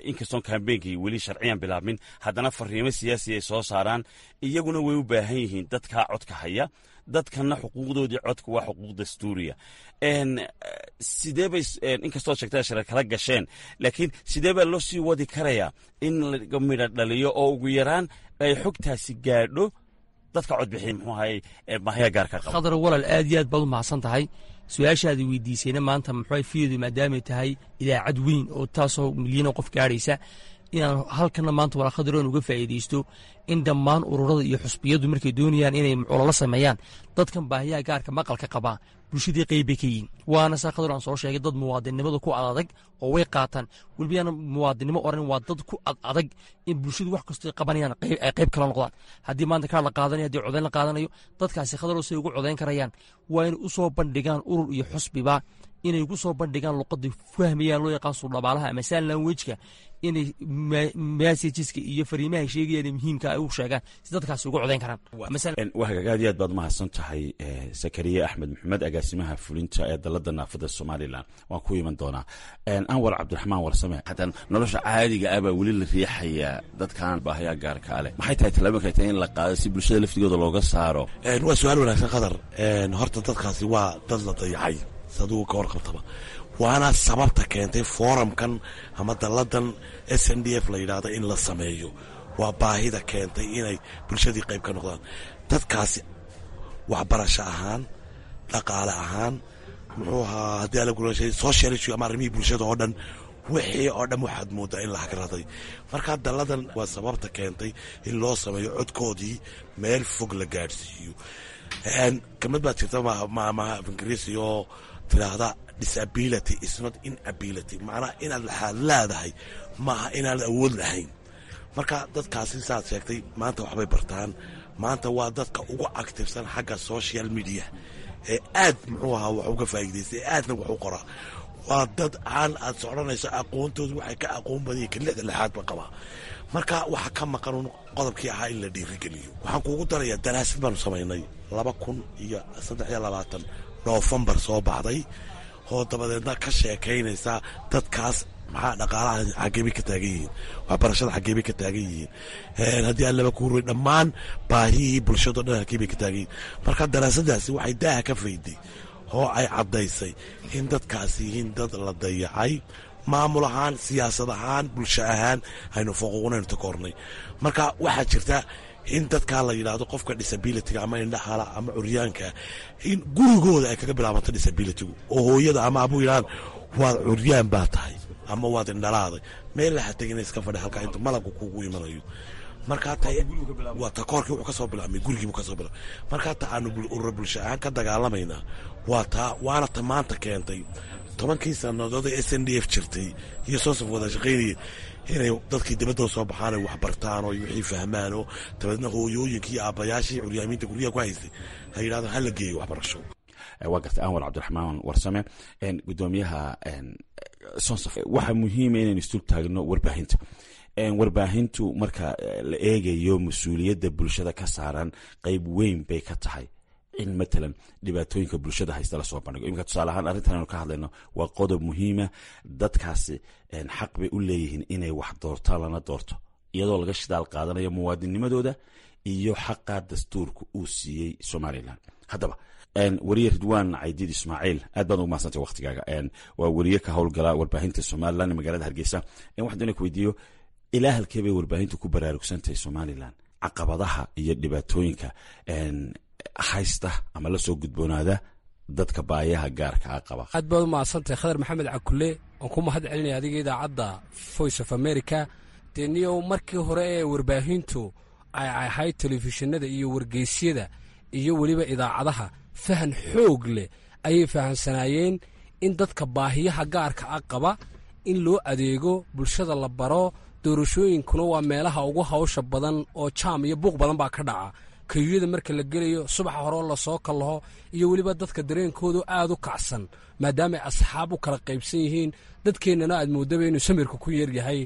inkastoon kambeynkii weli sharciyan bilaabmin, haddana fariimo siyaasi ay soo saaraan. Iyaguna way u baahan yihiin dadkaa codka haya, dadkanna xuquuqdoodii codka waa xuquuq dastuuriya. Sidee bay, inkastoo sheegtada shirar kala gasheen, laakiin sidee baa loo sii wadi karayaa in laga midha dhaliyo oo ugu yaraan ay xogtaasi gaadho dadka codbixiya muxuu ahay baahiya gaarka qaba? Khadar walaal, aad iyo aad baad u mahadsan tahay. Su-aashaadi weydiisayna maanta muxuu fiyadu maadaamay tahay idaacad weyn oo taasoo milyan oo qof gaadhaysa, inaan halkana maanta walaa, Khadar, oon uga faa'iidaysto in dhammaan ururada iyo xusbiyadu markay doonayaan inay ololo sameeyaan dadkan baahiyaha gaarka maqalka qabaa, bulshadii qeyb bay ka yihiin. Waana saa, Khadar, aan soo sheegay, dad muwaadinnimada ku adadag oo way qaataan. Weliba yaan muwaadinnimo oran, waa dad ku ad adag in bulshadu wax kastoo qabanayaan ay qayb kala noqdaan. Haddii maanta kaar la qaadanayo, haddii codayn la qaadanayo, dadkaasi, Khadar, say ugu codayn karayaan waa inay u soo bandhigaan urur iyo xusbiba inay ku soo bandhigaan luqadii fahmayaan, loo yaqaan suldhabaalaha ama sign languageka, inay messageska iyo fariimaha sheegayaan muhiimka ay u sheegaan si dadkaasi ugu codayn karaan. Waa hagaag, aad iyo aad baad mahadsan tahay, Sakariye Axmed Maxamed, agaasimaha fulinta ee dalada naafada Somaliland. Waan ku iman doonaa. Anwar Cabdiraxmaan Warsame, hataan nolosha caadiga ah baa weli la riixayaa dadkaan baahayaa gaarka leh. Maxay tahay tallaabooyinka ay tahay in la qaado si bulshada laftigooda looga saaro? Waa su-aal wanaagsan, Qadar. Horta dadkaasi waa dad la dayacay sadugu ka warqabtaba, waana sababta keentay forumkan ama dalladan S N D F la yidhaahdo in la sameeyo. Waa baahida keentay inay bulshadii qayb ka noqdaan dadkaasi, waxbarasho ahaan, dhaqaale ahaan, muxuu ahaa haddii ala gurashay social issue ama arrimihii bulshada oo dhan, wixii oo dhan waxaad mooddaa in la hagraday. Markaa dalladan waa sababta keentay in loo sameeyo, codkoodii meel fog la gaadhsiiyo. Kamid baad jirta maamaha af Ingiriisi oo tiraahda "Disability is not inability", macnaha inaad laxaad leedahay maaha inaad awood lahayn. Marka dadkaasi saad sheegtay maanta waxbay bartaan. Maanta waa dadka ugu activesan xagga social media ee aad muxuu ahaa wax uga faa'iidaystay, ee aadna wax u qoraa. Waa dad aan aad socdhanayso aqoontoodu waxay ka aqoon badan ka lixda lixaad ba qabaa. Marka waxa ka maqan un qodobkii ahaa in la dhiirigeliyo. Waxaan kuugu darayaa daraasad baanu samaynay laba kun iyo saddex iyo labaatan Noofembar soo baxday, oo dabadeedna ka sheekaynaysa dadkaas maxaa dhaqaalaha xageebay ka taagan yihiin, waxbarashada xageebay ka taagan yihiin, haddii aan laba kuuray dhammaan baahihii bulshado dhan halkeebay ka taagan yihiin. Marka daraasadaasi waxay daaha ka fayday oo ay caddaysay in dadkaasi yihiin dad la dayacay, maamul ahaan, siyaasad ahaan, bulsho ahaan aynu foquuqnaynu takoornay. Marka waxaa jirta in dadkaa la yidhaahdo qofka disabilityga ama indhahala ama curyaanka in gurigooda ay kaga bilaabanto disabilitygu, oo hooyada ama abuu yidhahaan waad curyaan baa tahay ama waad indhalaaday, meel laha tegina, iska fadhi halkaa inta malabku kuugu imanayo. Markaa ta waa takoorkii wuxuu ka soo bilaabmay gurigiibuu ka soo bilaabmay. Markaa ta aanu urura bulsho ahaan ka dagaalamaynaa waa taa, waana ta maanta keentay tobankii sannadood ee S N D F jirtay iyo soosaf wada shaqaynayay inay dadkii dibadda soo baxaan, ay wax bartaan oo wixii fahmaan, oo dabeedna hooyooyinkii iyo aabbayaashii curyaamiinta guryaha ku haystay ay yidhahdaan hala geeyo waxbarasho. Waa gartay Anwar Cabdiraxmaan Warsame, gudoomiyaha Sonsaf. Waxaa muhiima inaynu isdul taagno warbaahinta. Warbaahintu marka la eegayo mas-uuliyadda bulshada ka saaran, qeyb weyn bay ka tahay in matalan dhibaatooyinka bulshada haysta lasoo bandhigo. Iminka tusaale ahaan arrintan aynu ka hadlayno waa qodob muhiima. Dadkaasi xaq bay u leeyihiin inay wax doortaan lana doorto, iyadoo laga shidaal qaadanayo muwaadinimadooda iyo xaqa dastuurka uu siiyey Somalilan. Haddaba weriye Ridwaan Caydiid Ismaaciil, aad baad ugu mahadsantay waktigaaga. Waa weriye ka howlgala warbaahinta Somalilan ee magaalada Hargeysa. Waxaan doonaya ku weydiiyo, ilaa halkee bay warbaahintu ku baraarugsantahay Somalilan caqabadaha iyo dhibaatooyinka haysta ama la soo gudboonaada dadka baayaha gaarka a qaba? Aad baad u mahadsantahay Khadar Maxamed Cakule. Waan ku mahad celinaya adiga, idaacadda Voice of America. Dee niyow, markii hore ee warbaahintu ay ahayd telefishinada iyo wargeysyada iyo weliba idaacadaha, fahan xoog leh ayay fahansanaayeen in dadka baahiyaha gaarka a qaba in loo adeego, bulshada la baro. Doorashooyinkuna waa meelaha ugu hawsha badan oo jaam iyo buuq badan baa ka dhaca, kayuyada marka la gelayo subaxa hore oo lasoo kallaho, iyo weliba dadka dareenkoodu aad u kacsan maadaamaay asxaab u kala qaybsan yihiin. Dadkeennana aad moodaba inuu samirka ku yaryahay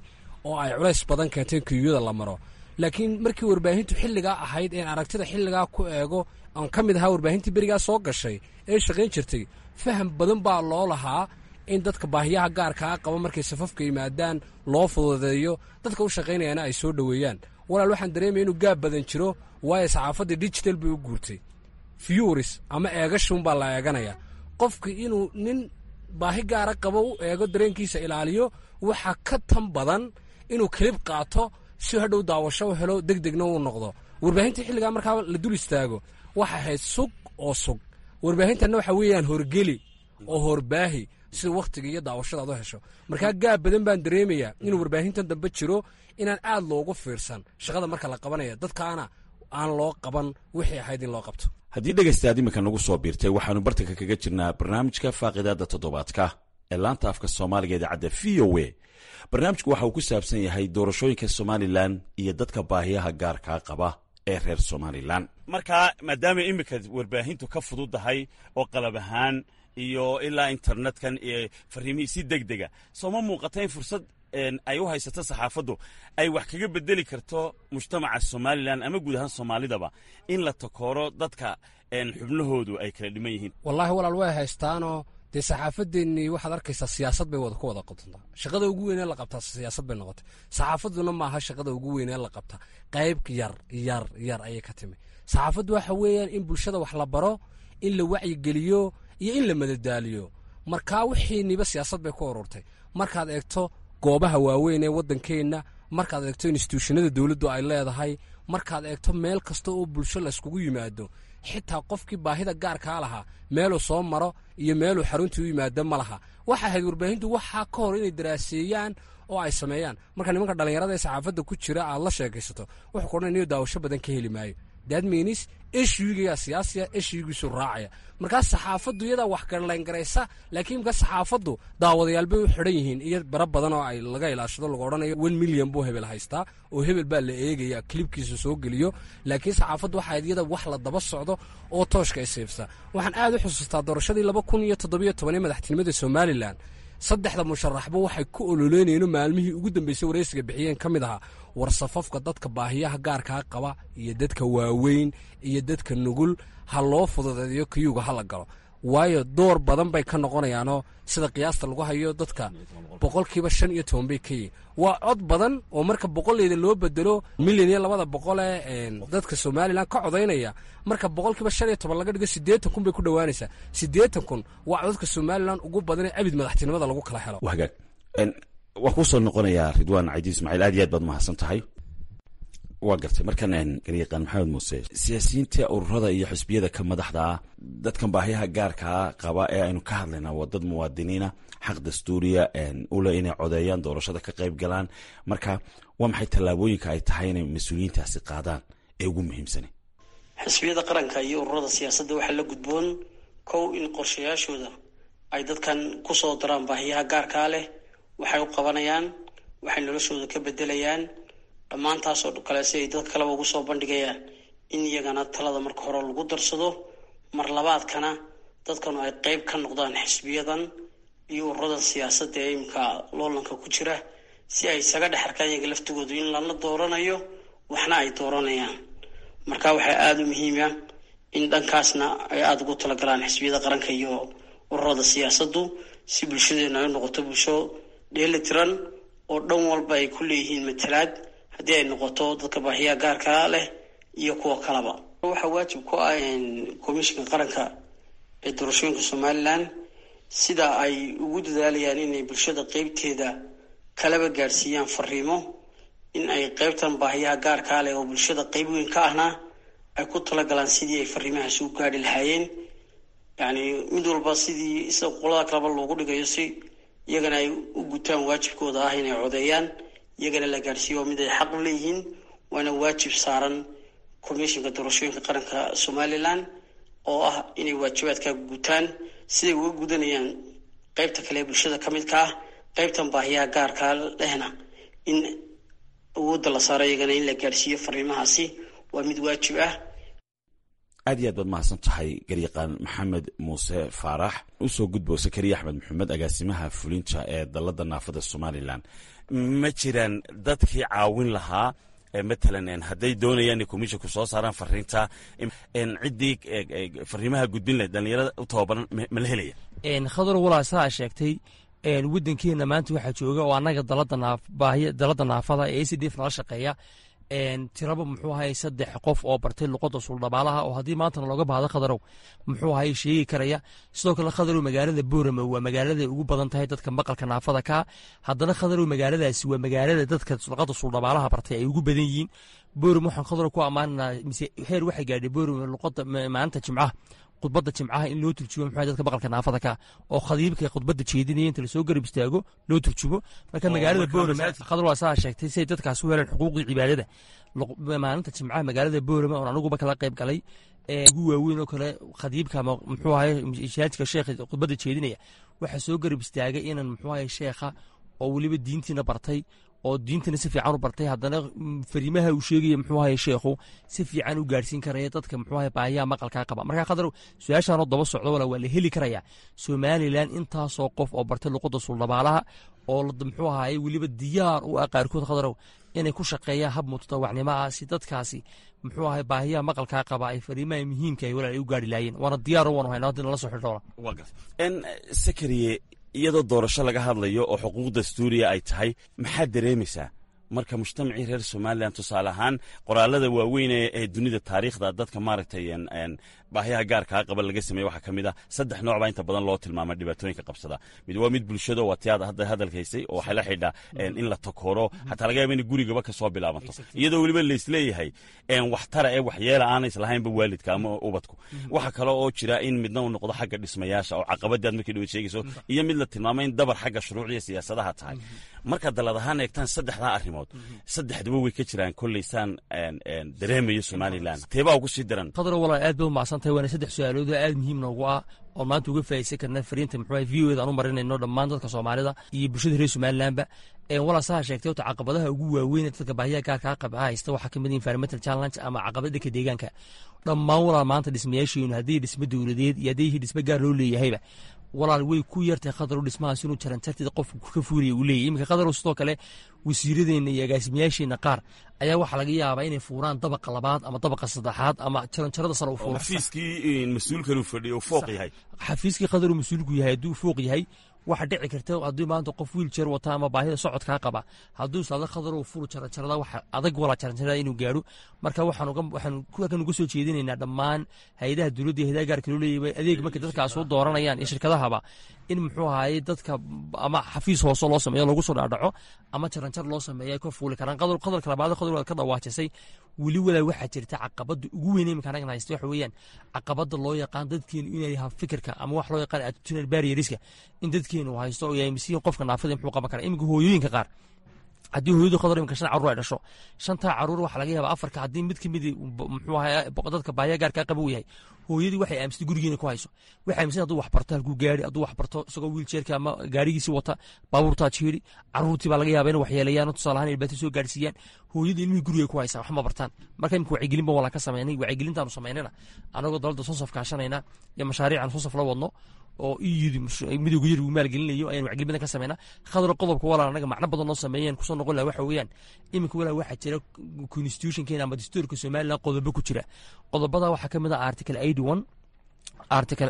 oo ay culays badan keenteen kayuyada la maro. Laakiin markii warbaahintu xilligaa ahayd een aragtida xilligaa ku eego, aan ka mid ahaa warbaahintii berigaa soo gashay ee shaqayn jirtay, faham badan baa loo lahaa in dadka baahiyaha gaarkaa qaba markay safafka yimaadaan loo fududeeyo, dadka u shaqaynayana ay soo dhoweeyaan. Walaal, waxaan dareemaya inuu gaab badan jiro, waayo saxaafadda digital bay u guurtay, viewers ama eegashuunbaa la eeganaya. Qofki inuu nin baahi gaara qabo u eego, dareenkiisa ilaaliyo, waxaa ka tan badan inuu clip qaato si hadhow daawasho u helo, deg degna uu noqdo. Warbaahinta xilligaa markaa la dul istaago waxay ahayd sug oo sug. Warbaahintanna waxa weeyaan horgeli oo horbaahi sida wakhtiga iyo daawashada aad u hesho. Markaa gaab badan baan dareemayaa inuu warbaahintan dambe jiro, inaan aad loogu fiirsan shaqada marka la qabanaya, dadkaana aan loo qaban wixii ahayd in loo qabto. Haddii dhegaystaad iminka nagu soo biirtay, waxaanu bartanka kaga jirnaa barnaamijka faaqidaada toddobaadka ee laanta afka Soomaaliga idaacadda V O A. Barnaamijku waxa uu ku saabsan yahay doorashooyinka Somalilan iyo dadka baahiyaha gaarkaa qaba ee reer Somalilan. Markaa maadaama iminka warbaahintu ka fududahay oo qalab ahaan iyo ilaa internetkan iyo fariimihii si deg dega, sooma muuqata in fursad ay u haysato saxaafaddu ay wax kaga bedeli karto mujtamaca Somalilan ama guud ahaan Soomaalidaba in la takooro dadka xubnahoodu ay kala dhiman yihiin? Wallaahi walaal, way haystaanoo dee saxaafadeennii waxaad arkaysaa siyaasad bay wada ku wada qabtantaa. Shaqada ugu weynee la qabtaa siyaasad bay noqotay. Saxaafadduna maaha shaqada ugu weynee la qabta, qayb yar yar yar ayay ka timi. Saxaafaddu waxa weeyaan in bulshada wax la baro, in la wacyigeliyo iyo in la madadaaliyo. Markaa wixiiniba siyaasad bay ku ururtay. Markaad eegto goobaha waaweyn ee waddankeenna, markaad eegto instituushanada dowladdu ay leedahay, markaad eegto meel kasta oo bulsho layskugu yimaado, xitaa qofkii baahida gaarkaa lahaa meeluu soo maro iyo meeluu xaruntii u yimaado ma laha. Waxa ahayd warbaahintu waxaa ka hor inay daraaseeyaan oo ay sameeyaan. Marka nimanka dhallinyarada ee saxaafadda ku jira aad la sheekaysato, wuxuu ku odhanaya niyo daawasho badan ka heli maayo. That means issuegigaa siyaasiya, issuegiisu raacaya. Markaa saxaafaddu iyadaa wax garlayngaraysa, laakiin imka saxaafaddu daawadayaal bay u xidhan yihiin iyo bara badan oo ay laga ilaashado, lagu odhanayo one million buu hebel haystaa oo hebel baa la eegaya clipkiisa soo geliyo. Laakiin saxaafaddu waxaa iyada wax la daba socdo oo tooshka isiibsa. Waxaan aad u xusuustaa doorashadii laba kun iyo toddobiyo toban ee madaxtinimada Somalilan, saddexda musharaxba waxay ku ololeynayeen maalmihii ugu dambeysay wareysiga bixiyeen ka mid ahaa war safafka dadka baahiyaha gaarkaa qaba iyo dadka waaweyn iyo dadka nugul ha loo fududeeyo, kiyuga ha la galo, waayo door badan bay ka noqonayaanoo sida qiyaasta lagu hayo dadka boqolkiiba shan iyo toban bay ka yihiin. Waa cod badan oo marka boqoleyda loo bedelo milyan iyo labada boqolee dadka Somalilan ka codaynaya, marka boqolkiiba shan iyo toban laga dhigo siddeetan kun bay ku dhowaanaysaa. Siddeetan kun waa codadka Somalilan ugu badan ee abid madaxtinimada lagu kala helo. Hagaag, waan kuu soo noqonayaa Ridwaan Caydiid Ismaaciil, aad iyo aad baad mahadsan tahay. Waa gartay. Markan garyaqaan Maxamed Muuse, siyaasiyiinta ururada iyo xisbiyada ka madaxda ah dadkan baahiyaha gaarkaa qaba ee aynu ka hadlaynaa waa dad muwaadiniina, xaq dastuuriya ule inay codeeyaan, doorashada ka qayb galaan. Marka waa maxay tallaabooyinka ay tahay inay mas-uuliyiintaasi qaadaan ee ugu muhiimsani? Xisbiyada qaranka iyo ururada siyaasadda waxaa la gudboon kow in qorshayaashooda ay dadkan kusoo daraan baahiyaha gaarkaa leh, waxay u qabanayaan, waxay noloshooda ka bedelayaan, dhammaantaasoo kale si ay dadka kaleba ugu soo bandhigayaan, in iyagana talada marka hore lagu darsado. Mar labaadkana Dadkanu ay qeyb ka noqdaan xisbiyadan iyo ururadan siyaasadda ee imika loolanka ku jira, si ay isaga dhex arkaan iyaga laftigoodu in lala dooranayo waxna ay dooranayaan. Marka waxaa aada u muhiima in dhankaasna ay aada ugu talagalaan xisbiyada qaranka iyo ururada siyaasaddu, si bulshadeenu ay u noqoto bulsho dheeli tiran oo dhan walba ay ku leeyihiin matalaad, haddii ay noqoto dadka baahiyaha gaarka leh iyo kuwa kaleba. Waxaa waajib ku ah komishinka qaranka ee doorashooyinka Somaliland sida ay ugu dadaalayaan inay bulshada qeybteeda kalaba gaadhsiiyaan fariimo, in ay qeybtan baahiyaha gaarkaa leh oo bulshada qeyb weyn ka ahna ay ku talagalaan sidii ay fariimahaasi u gaadhi lahaayeen. Yacni mid walba sidii sida qolada kaleba loogu dhigayo, si iyagana ay u gutaan waajibkooda ah inay codeeyaan, iyagana la gaadhsiiyo mid ay xaq u leeyihiin, waana waajib saaran komishinka doorashooyinka qaranka Somaliland oo ah inay waajibaadka gutaan siday uga gudanayaan qeybta kale ee bulshada ka midka ah. Qeybtan baahiyaha gaarkaa lehna in awoodda la saaro iyagana in la gaadhsiiyo fariimahaasi waa mid waajib ah. Aad iyo aad baad mahadsan tahay garyaqaan Maxamed Muuse Faarax. Usoo gudbo Sakariya Axmed Maxamed, agaasimaha fulinta ee dalladda naafada Somalilan. Ma jiraan dadkii caawin lahaa, matalan hadday doonayaan inay komishinku soo saaraan fariinta, ciddii fariimaha gudbin lahayd, dhalinyarada u tababaran ma la helaya? Khadar, walaa saa sheegtay, waddankeena maanta waxaa jooga oo annaga dalada naafbaahiya dalladda naafada ee A C D F nala shaqeeya tiraba muxuu ahay saddex qof oo bartay luqadda suldhabaalaha, oo haddii maantana looga baahdo, Khadarow, muxuu ahay sheegi karaya. Sidoo kale, Khadarow, magaalada Boorama waa magaalada ugu badan tahay dadka maqalka naafada ka. Haddana, Khadarow, magaaladaasi waa magaalada dadka luqadda suldhabaalaha bartay ay ugu badan yihiin. Boorama waxaan, Khadarow, ku ammaananaa mise heer waxay gaadhay Boorama luqadda maalinta Jimcaha, khudbadda Jimcaha in loo turjumo muxuu dadka maqalka naafada ka, oo khadiibka khudbadda jeedinaya inta lasoo garab istaago loo turjumo. Marka magaalada Boorama, Khadar, waa saa sheegtay, si ay dadkaas u heleen xuquuqdii cibaadada maalinta Jimcaha magaalada Boorama oon aniguba kala qayb galay ugu waaweyn oo kale, khadiibka ama muxuu ahay shaajka sheekha khudbadda jeedinaya waxaa soo garab istaagay inan muxuu ahay sheekha oo weliba diintiina bartay, oo diintana si fiican u bartay, haddana fariimaha uu sheegaya muxuu ahay sheekhu si fiican u gaadhsiin karaya dadka muxuu ahay baahiyaha maqalkaa qaba. Marka, Khadar, su-aashaanoo daba socdo, wala waa la heli karayaa Somalilan intaasoo qof oo bartay luqadda suldhabaalaha oo muxuu ahaye weliba diyaar u ah qaarkood, Khadarow, inay ku shaqeeyaan hab mutadawacnimo ah, si dadkaasi muxuu ahay baahiyaha maqalkaa qaba ay fariimaha muhiimka ay walaal ay u gaadhi laayeen. Waana diyaaro, waanu haynaa haddii nala soo xidhoola. Sakariye, iyadoo doorasho laga hadlayo oo xuquuq dastuuriya ay tahay, maxaad dareemaysaa marka mujtamacii reer Somalilan, tusaale ahaan qoraalada waaweyn ee dunida taariikhda dadka maaragtay baahiyaha gaarkaa qaba laga sameeye, waxaa ka mid ah saddex nooc baa inta badan loo tilmaama dhibaatooyinka qabsada. Mid waa mid bulshado, waa tiyaad hadda hadalkaysay, oo waxay la xidhaa in la takooro, xataa laga yaaba inay gurigaba ka soo bilaabanto, iyadoo weliba laisleeyahay waxtara ee waxyeela aanay islahaynba waalidka ama ubadku. Waxa kale oo jira in midna uu noqdo xagga dhismayaasha oo caqabadii aad markii dhawayd sheegayso, iyo mid la tilmaamay in dabar xagga shuruucda iyo siyaasadaha tahay. Markaad dallad ahaan eegtaan saddexdaa arrimood, saddexduba way ka jiraan kolleysaan dareemayo Somalilan, teebaa ugu sii daran? Khadar, walaal, aad bay u macsan tahay, waana saddex su-aalood oo aad muhiim noogu ah oo maanta uga faa'iideysan karna fariinta muxuu V O da aan u marinayno dhammaan dadka Soomaalida iyo bulshada reer Somalilandba. Walaa saa sheegtay, horta caqabadaha ugu waaweyn ee dadka baahiyaha gaarkaa qaba haysta waxaa kamid environmental challenge ama caqabada dhanka deegaanka. Dhammaan, walaal, maanta dhismayaasheenu haddii dhismo dowladeed iyo haddii dhismo gaar loo leeyahayba, walaal, way ku yartahay, Khadarow, dhismahaas inuu jaranjartida qofku ka fuuraya uu leeyahy. Iminka, Khadarow, sidoo kale wasiiradeenna iyo agaasimayaasheenna qaar ayaa waxaa laga yaabaa inay fuuraan dabaqa labaad ama dabaqa saddexaad ama jaranjarada sare u fuuro. Xafiiskii mas-uulkan uu fadhiyo fooq yahay. Xafiiskii, Khadarow, mas-uulku yahay hadduu fooq yahay, waxa dhici karta haddii maanta qof wheelchair wata ama baahida socodkaa qaba hadduu islaado, "Khadarow, furu jaranjarada," waxa adag walaa jaranjarada inuu gaadho. Marka waxaan waxaan halkan uga soo jeedinaynaa dhammaan hay-adaha dowladda iyo hayadaha gaarka loo leeyahay adeeg markay dadkaas soo dooranayaan iyo shirkadahaba in muxuu ahaye dadka ama xafiis hoose loo sameeyo lagu soo dhaadhaco ama jaranjar loo sameeyo ay ka fuuli karaan. Qadalka labaad, Khadar, waad ka dhawaajisay weli, walaa waxaa jirta caqabada ugu weyn iminka anagan haysta, waxa weeyaan caqabada loo yaqaan dadkeenu inay fikirka ama wax loo yaqaan attitudinal barrierska in dadkeenu haysto oo yahay misiin qofka naafada muxuu qaban karaa. Iminka hooyooyinka qaar Haddii hooyadu, Khadar, iminka shan carruur ay dhasho, shantaa carruur waxaa laga yaabaa afarka haddii mid kamid muxuu ahaa dadka baahiya gaarkaa qaba uu yahay, hooyadii waxay aaminsatay gurigeena ku hayso. Waxay aaminsan hadduu wax barto halkuu gaari, hadduu wax barto isagoo wheelchairka ama gaarigiisii wata baabuurtaa jiiri, carruurtii baa laga yaabaa inay waxyeeleeyaan, tusaale ahaan dhibaato soo gaarsiiyaan. Hooyadii ilmihii guriga ku haysaa, wax ma bartaan. Marka imika wacyigelin ba walaa ka sameynay. Wacyigelintaanu samaynayna anagoo dowladda SONSAF kaashanayna iyo mashaariican SONSAF la wadno oo E U Midowga Yurub uu maalgelinayo ayaan wacyigelin badan ka sameynaa. Khadar, qodobka walaal anaga macno badan noo sameeyeen kusoo noqon laha waxa weeyaan, iminka walaal waxaa jira constitutionkeena ama dastuurka Somaliland qodobo ku jira. Qodobada waxaa ka mid ah article eighty one, article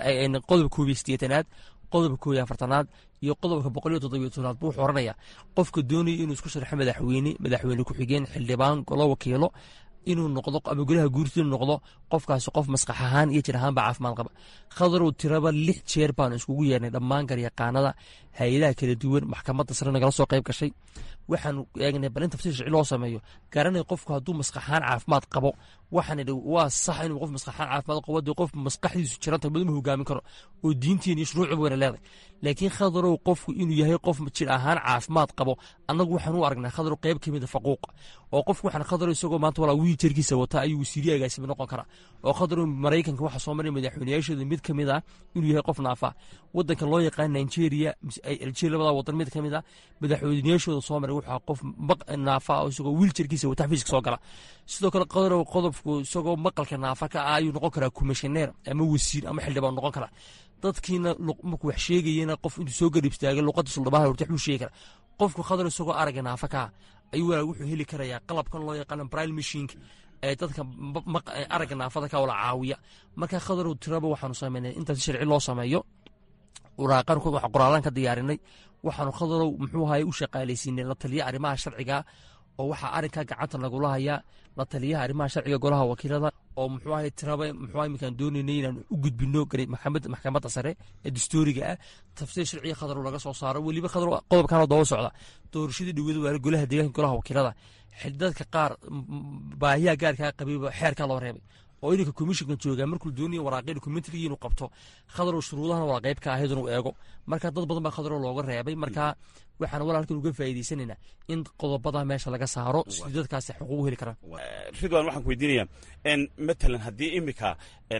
qodobka koob iyo siddeetanaad, qodobka koob iyo afartanaad iyo qodobka boqol iyo toddobiyo tobnaad. Buu wuxuu oranaya qofka doonaya inuu isku sharxo madaxweyne, madaxweyne ku-xigeen, xildhibaan, golo wakiilo inuu noqdo ama golaha guurti inuu noqdo, qofkaasi qof maskax ahaan iyo jir ahaanba caafimaad qaba. Khadarow, tiraba lix jeer baanu iskugu yeernay dhammaan garyaqaanada, hay-adaha kala duwan, maxkamadda sare nagala soo qayb gashay. Waxaanu eegnay bal in tafsiir sharci loo sameeyo garanay qofku hadduu maskax ahaan caafimaad qabo. Waxaan idhi waa sax inuu qof maskax ahaan caafimaad qabo, dee qof maskaxdiisu jiranta maduma hogaamin karo oo diintiin iyo shuruucba wayna leedahay. Laakiin, Khadarow, qofku inuu yahay qof jir ahaan caafimaad qabo annagu waxaan u aragnaa, Khadarow, qayb ka mid a faquuq oo qofku waxaan, Khadarow, isagoo maanta walaa wheelchairkiisa wata ayuu wasiiriye agaasima noqon karaa. Oo, Khadarow, Maraykanka waxaa soo maray madaxweynayaashooda mid ka mid ah inuu yahay qof naafa. Wadanka loo yaqaan Nigeria, Algeria, labada wadan mid ka mid ah madaxweynayaashooda soo maray wuxuu qof naafa oo isagoo wheelchairkiisa wata xafiiska soo gala. Sidoo kale, Khadarow, qodobku isagoo maqalka naafa ka ah ayuu noqon karaa commissioner ama wasiir ama xildhibaan noqon karaa. Dadkiina markuu wax sheegayena qof intuu soo garib istaagay luqadda suldhabaha horta waxbuu sheegi karaa. Qofku, Khadar, isagoo aragga naafa ka ah ayuu walaa wuxuu heli karayaa qalabkan loo yaqaano braille machineka ee dadka aragga naafada ka wala caawiya. Marka, Khadarow, tiraba waxaanu sameynay intaas sharci loo sameeyo waraaqan qoraalaan ka diyaarinay. Waxaanu, Khadarow, muxuu ahaye u shaqaalaysiinay la taliya arrimaha sharciga oo waxaa arrinkaa gacanta nagula hayaa la taliyaha arrimaha sharciga golaha wakiilada oo muxuu ahay tiraba muxuu iminkaan doonaynay inaan u gudbino maxkamadda sare ee dastuuriga ah tafsiir sharciga, Khadarow, laga soo saaro. Weliba, Khadarow, qodobkanoo daba socda doorashadii dhawada waa golaha deegaanka, golaha wakiilada, dadka qaar baahiyaha gaarkaa qabayba xeerkaa loo reebay oo ininka commissionka joogaa markuu doonayo waraaqyo documentarygii inuu qabto, Khadarow, shuruudahana waa qayb ka ahayd inuu eego. Marka dad badan baa, Khadarow, looga reebay. Marka waxaan walaalkan uga faa'iidaysanaynaa in qodobada meesha laga saaro sidii dadkaasi xuquuq u heli karaan. Ridwan, waxaan ku weydiinayaa, matalan haddii imika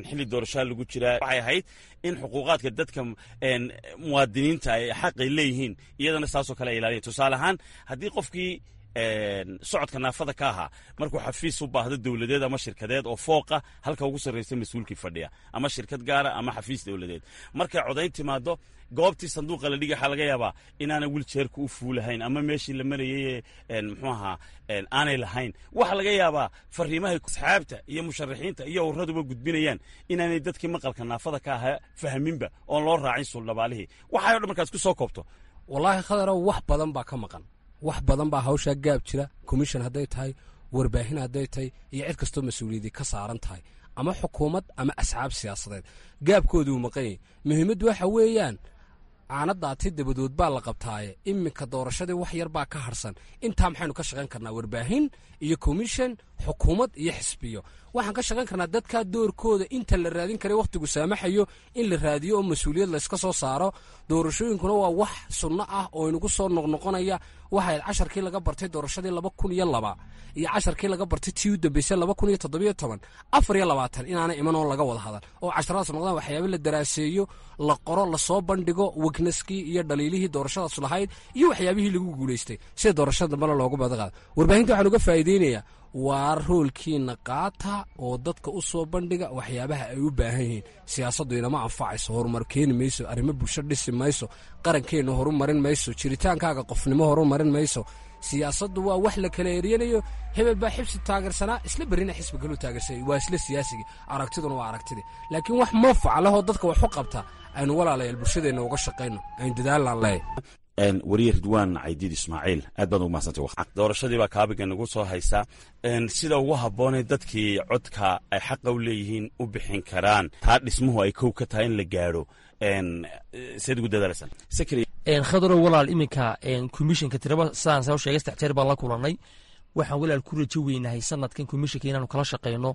xilli doorashaa lagu jiraa, waxay ahayd in xuquuqaadka dadka muwaadiniinta ay xaqay leeyihiin iyadana saasoo kale ay ilaaliyan. Tusaale ahaan, haddii qofkii socodka naafada ka ahaa markuu xafiis u baahdo dowladeed ama shirkadeed oo fooqa halka ugu sarraysa mas-uulkii fadhiya ama shirkad gaara ama xafiis dowladeed, markay codayn timaado goobtii sanduuqa la dhigay, waxaa laga yaabaa inaanay wheelchairka u fuulahayn ama meeshii la marayay muxuu ahaa aanay lahayn. Waxaa laga yaabaa fariimahay asxaabta iyo musharaxiinta iyo urraduba gudbinayaan inaanay dadkii maqalka naafada ka ahaa fahminba oon loo raacin suuldhabaalihii. Waxay o dhan markaad isku soo koobto. Wallaahi, Khadarow, wax badan baa ka maqan, wax badan baa hawshaa gaab jira. Commission hadday tahay, warbaahin hadday tahay iyo cid kastoo mas-uuliyadii ka saaran tahay ama xukuumad ama asxaab siyaasadeed, gaabkoodu uu maqan yahay. Muhiimaddu waxa weeyaan caanadaati dabadood baa la qabtaaye. Iminka doorashadii wax yar baa ka harsan. Intaa maxaynu ka shaqayn karnaa? Warbaahin iyo commission, xukuumad iyo xisbiyo, waxaan ka shaqayn karnaa dadka doorkooda inta la raadin karay wakhtigu saamaxayo in la raadiyo oo mas-uuliyad layska soo saaro. Doorashooyinkuna waa wax sunno ah oo inagu soo noqnoqonaya. Waxay casharkii laga bartay doorashadii laba kun iyo laba iyo casharkii laga bartay tii u dambeysay laba kun iyo toddobiyo toban, afar iyo labaatan inaana iman oo laga wada hadal oo casharadaas noqdaan waxyaaba la daraaseeyo, la qoro, lasoo bandhigo weaknesskii iyo dhaliilihii doorashadaas lahayd iyo waxyaabihii lagu guulaystay sida doorashada dambena loogu badaqaado. Warbaahinta waxaan uga faa'iideynayaa, waa roolkiina qaata oo dadka u soo bandhiga waxyaabaha ay u baahan yihiin. Siyaasaddu inama anfacayso, horumar keeni mayso, arrimo bulsho dhisi mayso, qarankeenna horumarin mayso, jiritaankaaga qofnimo horumarin mayso. Siyaasaddu waa wax la kala eryanayo. Hebel baa xisbi taageersanaa, isla berrina xisbi kaluu taageersanay, waa isla siyaasigii, aragtiduna waa aragtidii. Laakiin wax manfac lehoo dadka wax u qabta aynu walaalayaal bulshadeenna uga shaqayno, aynu dadaalaan leeyahay. Wariye Ridwaan Caydiid Ismaaciil, aad baad ugu mahadsantay. Doorashadii baa kaabiga nagu soo haysaa. Sida ugu habboonee dadkii codka ay xaqa u leeyihiin u bixin karaan, taa dhismuhu ay kow ka tahay in la gaadho, seed ugu dadaalaysaan? Khadarow, walaal, iminka commissionka tiraba sidaan soo sheegay saddex jeer baan la kulannay. Waxaan walaal ku rajo weynahay sanadkan commissionka inaanu kala shaqeyno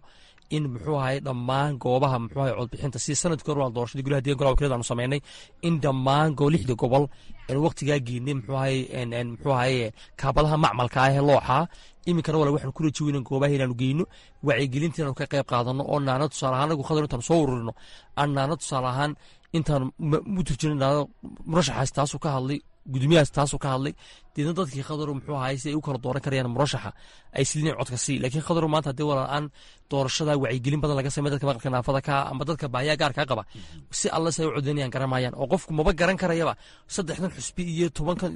In muxuu ahay dhammaan goobaha muxuu ahay codbixinta si sanadkii hore waa doorashadii golaha deeganka golaha wakiilada aanu sameynay, in dhammaan go lixda gobol aan waqtigaa geynay muxuu ahay muxuu ahay kaabadaha macmalka ah ee looxa. Iminkana walaal waxaan ku rajo weynan goobaha inaanu geyno wacyigelinta, inaanu ka qayb qaadano oo naana tusaale ahaan anagu Khadar intaanu soo ururino aan naana tusaale ahaan intaanu u turjino naana murashaxaas taasuu ka hadlay, gudoomiyahaas taasuu ka hadlay, deedna dadkii Khadaru muxuu ahay si ay u kala dooran karayaan murashaxa ay silin codka sii. Laakiin Khadaru maanta haddii walaal aan doorashada wacyigelin badan laga sameey dadka maqalka naafada ka ama dadka baahiyaha gaarka qaba, si alle si ay u codeynayaan garamayaan, oo qofku maba garan karayaba saddexdan xusbi iyo tobankan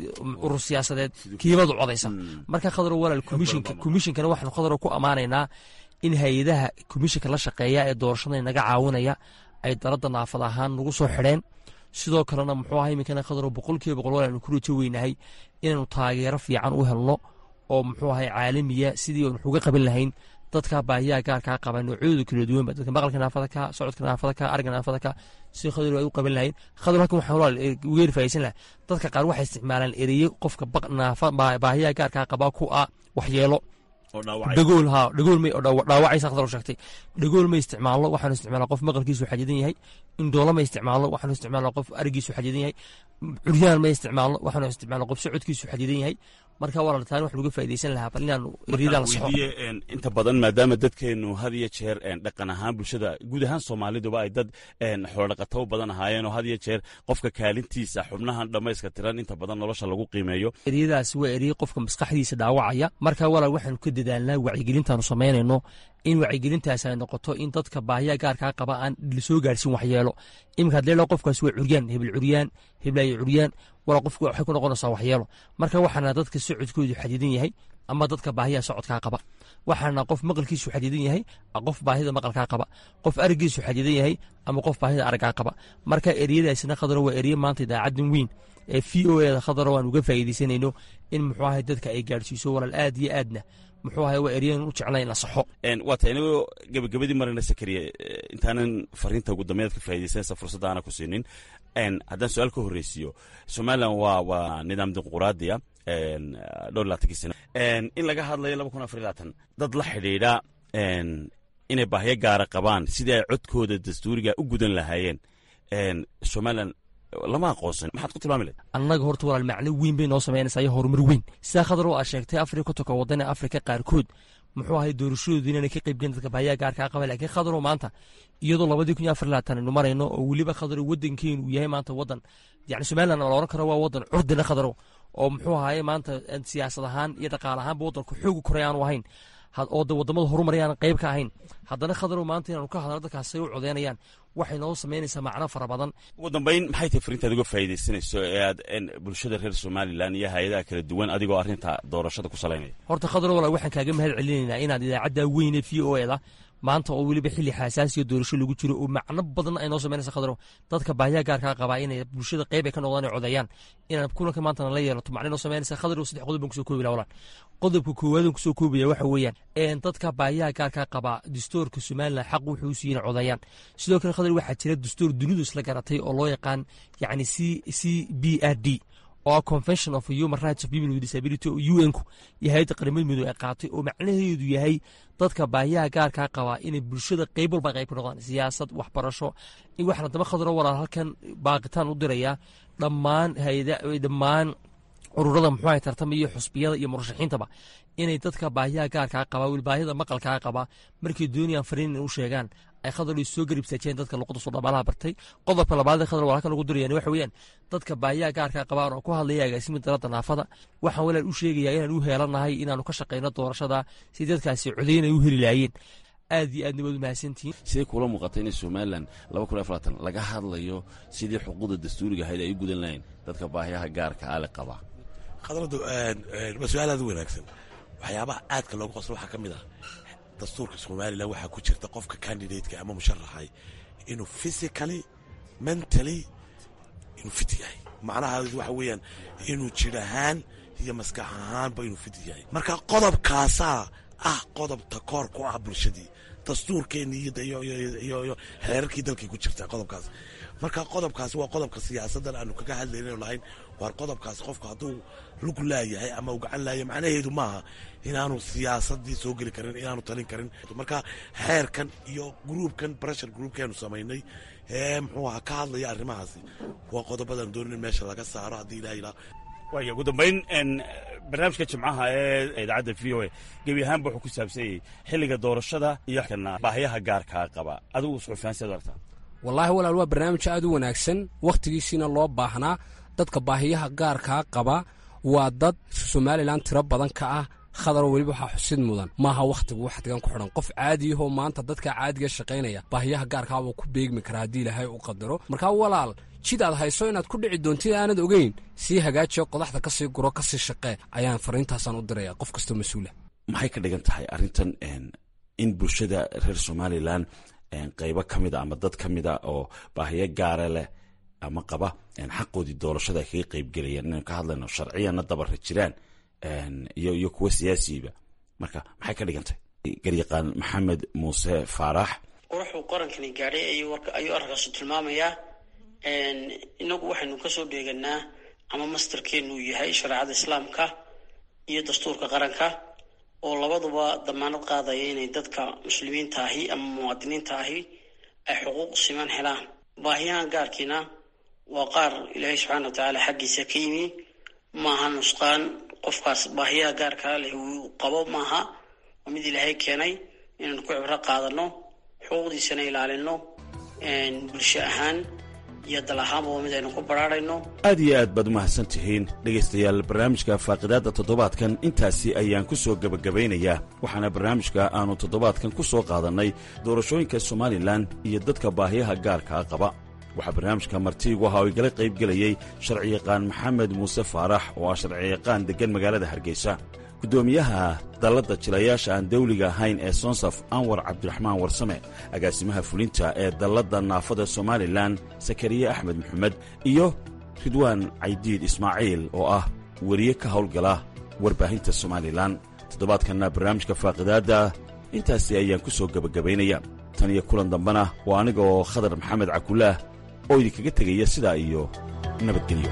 urur siyaasadeed kiibadu codaysa. Marka Khadaru walaal komishinka komishinkana waxaanu Khadaru ku ammaanaynaa in hay-adaha komishinka la shaqeeya ee doorashada naga caawinaya ay dalada naafada ahaan nagu soo xidheen. Sidoo kalena muxuu ahay iminkana Khadaro boqolkiiba boqol walaal ku rajo weynahay inaanu taageero fiican u helno oo muxuu ahay caalamiya, sidii aanu uga qaban lahayn dadka baahiyaha gaarkaa qaba noocyadooda kala duwanba, dadka maqalka naafada ka, socodka naafada ka, aragga naafada ka, si Khadaro ay u qaban lahayn. Khadaro halkan waxaan walaal uga faaisan lahaa dadka qaar waxay isticmaalaan ereyo qofka naafa baahiyaha gaarkaa qaba ku ah waxyeelo, dhagool ha dhagool may dhaawacaysa. Khadar sheegtay dhagool ma isticmaalno, waxaanu isticmaalaa qof maqalkiisu xadidan yahay. Indhoolo ma isticmaalno, waxaanu isticmaalnaa qof arigiisu xadidan yahay. Curyaan ma isticmaalno, waxaanu isticmaalnaa qof socodkiisu xadidan yahay. Marka walaal taan wax laga faa'iideysan lahaa bal inaanu eriyada la saxo. Inta badan maadaama dadkeenu had iyo jeer dhaqan ahaan bulshada guud ahaan Soomaaliduba ay dad xoolodhaqato badan ahaayeen, oo had iyo jeer qofka kaalintiisa xubnahan dhammayska tiran inta badan nolosha lagu qiimeeyo, eriyadaasi waa eriye qofka maskaxdiisa dhaawacaya. Marka walaal waxaanu ka dadaalnaa wacyigelintaanu samaynayno in wacyigelintaas ay noqoto in dadka baahiyaha gaarkaa qaba aan lasoo gaarsiin waxyeelo. Iminka hadii la qofkaas waa curyaan, hebel curyaan, heblaayo curyaan, walaa qofku waxay ku noqonaysaa waxyeelo. Marka waxaana dadka socodkoodu xadidan yahay ama dadka baahiyaha socodkaa qaba, waxaana qof maqalkiisu xadidan yahay, qof baahida maqalkaa qaba, qof araggiisu xadidan yahay ama qof baahida araggaa qaba. Marka eriyadaasina Khadaro waa eriye maanta idaacadan weyn ee V O A da Khadaro aan uga faa'iidaysanayno in muxuu ahay dadka ay gaadhsiiso walaal aad iyo aadna muxuu ahay waa eryadan u jeclay in la saxo. Waa tahay, inagoo gabagabadii marayna Sakariye, intaanan fariinta ugu dambeyd ka faa'iidaysanaysa fursadda aana ku siinin, haddaan su-aal ka horreysiiyo, Somaliland waa waa nidaam dimuquraadiya dhowr laatankii sano in laga hadlayo laba kun afar iyo labaatan, dad la xidhiidha inay baahyo gaara qabaan sidii ay codkooda dastuuriga u gudan lahaayeen Somaliland lama aqoonsan, maxaad ku tilmaami lahayd? Annaga horta walaal macno weyn bay noo samaynaysaa iyo horumar weyn. Sidaa Khadar oo aad sheegtay, afar iyo kontonka waddan ee Afrika qaarkood muxuu ahay doorashadoodu inaanay ka qaybgelin dadka baahiyaha gaarkaa qaba. Laakiin Khadarow maanta iyadoo labadii kun iyo afar labaatan aynu marayno oo weliba Khadarow waddankeenu uu yahay maanta waddan yacni Somaliland la oran karo waa waddan curdina Khadarow, oo muxuu ahaye maanta siyaasad ahaan iyo dhaqaale ahaanba waddanku xoogu koray aanu ahayn oo de waddamada horumarayaan qayb ka ahayn, haddana Khadarow maanta inaanu ka hadalno dadkaas ay u codeynayaan waxay noo samaynaysaa macno fara badan. Ugu dambayn, maxay tahay fariintaad uga faa'iidaysanayso ee aad bulshada reer Somaliland iyo hay-adaha kala duwan adigoo arrinta doorashada ku salaynaya? Horta Khadar walaal waxaan kaaga mahad celinaynaa inaad idaacadda weyne V O A da maanta oo weliba xilli xasaasiya doorasho lagu jiro oo macno badan ay noo samaynaysa Khadarow dadka baahiyaha gaarkaa qabaa inay bulshada qayb ay ka noqdaan ay codeeyaan inaan kulanka maantana la yeelato macno noo samaynaysa. Khadarow saddex qodob baan kusoo koobi lahaa walaal. Qodobka koowaad aan kusoo koobaya waxa weeyaan dadka baahiyaha gaarkaa qabaa dastuurka Somaliland xaq wuxuu u siiyey inay codeeyaan. Sidoo kale Khadar waxaa jira dastuur dunidu isla garatay oo loo yaqaan yacni C C B R D oo ah Convention of Human Rights of People with Disability oo U N ku iyo hay'adda qaramada midoobay ay qaatay, oo macnaheedu yahay dadka baahiyaha gaarkaa qabaa inay bulshada qayb walba qayb ka noqdaan, siyaasad, waxbarasho. In waxaan daba Khadaro walaal halkan baaqitaan u dirayaa dhammaan hay'ada dhammaan ururada muxuu ahay tartama iyo xusbiyada iyo murashaxiintaba inay dadka baahiyaha gaarkaa qabaa weli baahida maqalkaa qabaa markay doonayaan fariin inay u sheegaan ay Khadar soo garib istaajiyeen dadka luqada soo dhamaalaha bartay. Qodobka labaad ee Khadar waa halkan lagu dirayaan waxa weeyaan dadka baahiyaha gaarkaa qabaan oo ku hadlaya agaasimin dalada naafada waxaan walaal u sheegayaa inaan u heelanahay inaanu ka shaqeyno doorashada si dadkaasi codeyn ay u heli lahaayeen. Aad iyo aadna waad u mahadsantihiin. Sidee kula muuqata inay Somaliland laba kun iyo afaraatan laga hadlayo sidii xuquuqda dastuuriga ahayd ay u gudan lahayn dadka baahiyaha gaarka ah le qaba? Khadradu waa su-aal aad u wanaagsan. Waxyaabaha aadka loogu qoslo waxaa ka mid ah dastuurka Somaliland waxaa ku jirta qofka candidateka ama musharaxay inuu physically mentally inuu fit yahay, macnaha waxa weeyaan inuu jir ahaan iyo maskax ahaanba inuu fit yahay. Marka qodobkaasaa ah qodob takoor ku ah bulshadii, Dastuurkeeni iyo iyo xeerarkii dalkii ku jirtaa qodobkaas. Marka qodobkaasi waa qodobka siyaasaddan aanu kaga hadlayno lahayn. Waar qodobkaasi qofku hadduu lug laayahay ama uu gacan laayahay, macnaheedu maaha inaanu siyaasaddii soo geli karin, inaanu talin karin. Marka xeerkan iyo groupkan, pressure groupkeenu samaynay ee muxuu ahaa ka hadlaya arrimahaasi, waa qodobadan doonin in meesha laga saaro haddii Ilaah ilaa. Waaya, ugu dambayn, barnaamijka Jimcaha ee idaacadda V O A gebi ahaanba wuxuu ku saabsanyayey xilliga doorashada iyo baahiyaha gaarkaa qaba. Adigu suxufiyan siad aragtaa? Wallaahi walaal, waa barnaamij aad u wanaagsan, wakhtigiisiina loo baahnaa. Dadka baahiyaha gaarkaa qaba waa dad Somalilan tiro badan ka ah, Khadaro. Weliba waxaa xusid mudan, maaha wakhtigu wakhtigan ku xidhan. Qof caadiyahoo maanta dadka caadiga shaqaynaya baahiyaha gaarkaa wuu ku beegmi karaa haddii Ilaahay u qadaro. Markaa walaal, jid aad hayso inaad ku dhici doontid aanad ogeyn, sii hagaajiyo, qodaxda kasii guro, kasii shaqee ayaan fariintaasaan u diraya qof kastoo mas-uula. Maxay ka dhigan tahay arrintan in bulshada reer Somalilan qaybo ka mida ama dad ka mida oo baahiyo gaara leh ama qaba xaqoodii doorashada ay kaga qaybgelayaan, inaynu ka hadlayno sharciyanna dabara jiraan iyo iyo kuwa siyaasiyiba? Marka maxay ka dhigan tahay, garyaqaan Maxamed Muuse Faarax? Quruxuu qarankani gaadhay ayuu arrinkaasu tilmaamayaa. Inagu waxaynu kasoo dheeganaa ama mastarkeenu yahay shareecada Islaamka iyo dastuurka qaranka, oo labaduba damaanad qaadaya inay dadka muslimiinta ahi ama muwaadiniinta ahi ay xuquuq siman helaan. Baahiyahan gaarkiina waa qaar Ilaahay subxaana wa tacaala xaggiisa ka yimi, maaha nusqaan qofkaas baahiyaha gaarkaa leh uu qabo maaha. Waa mid Ilaahay keenay inaynu ku cibro qaadano, xuquuqdiisana ilaalino. Bulsho ahaan iyo dal ahaanba waa mid aynu ku baraarayno. Aad iyo aad baad u mahadsan tihiin, dhegaystayaal. Barnaamijka faaqidaadda toddobaadkan intaasi ayaan ku soo gebagabaynayaa, waxaana barnaamijka aanu toddobaadkan ku soo qaadannay doorashooyinka Somalilan iyo dadka baahiyaha gaarkaa qaba. Waxaa barnaamijka martiigu ahaa oo igala qaybgelayey sharciyaqaan Maxamed Muuse Faarax, oo ah sharciyaqaan deggan magaalada Hargeysa, guddoomiyaha dalladda jilayaasha aan dawliga ahayn ee Sonsaf, Anwar Cabdiraxmaan Warsame, agaasimaha fulinta ee dalladda naafada Somalilan, Sakariye Axmed Maxamed, iyo Ridwaan Caydiid Ismaaciil, oo ah weriye ka howlgala warbaahinta Somalilan. Toddobaadkanna barnaamijka faaqidaadda intaasi ayaan ku soo gebagabaynaya. Tan iyo kulan dambena, waa aniga oo Khadar Maxamed Cakulaah oo idinkaga tegaya sidaa iyo nabadgelyo.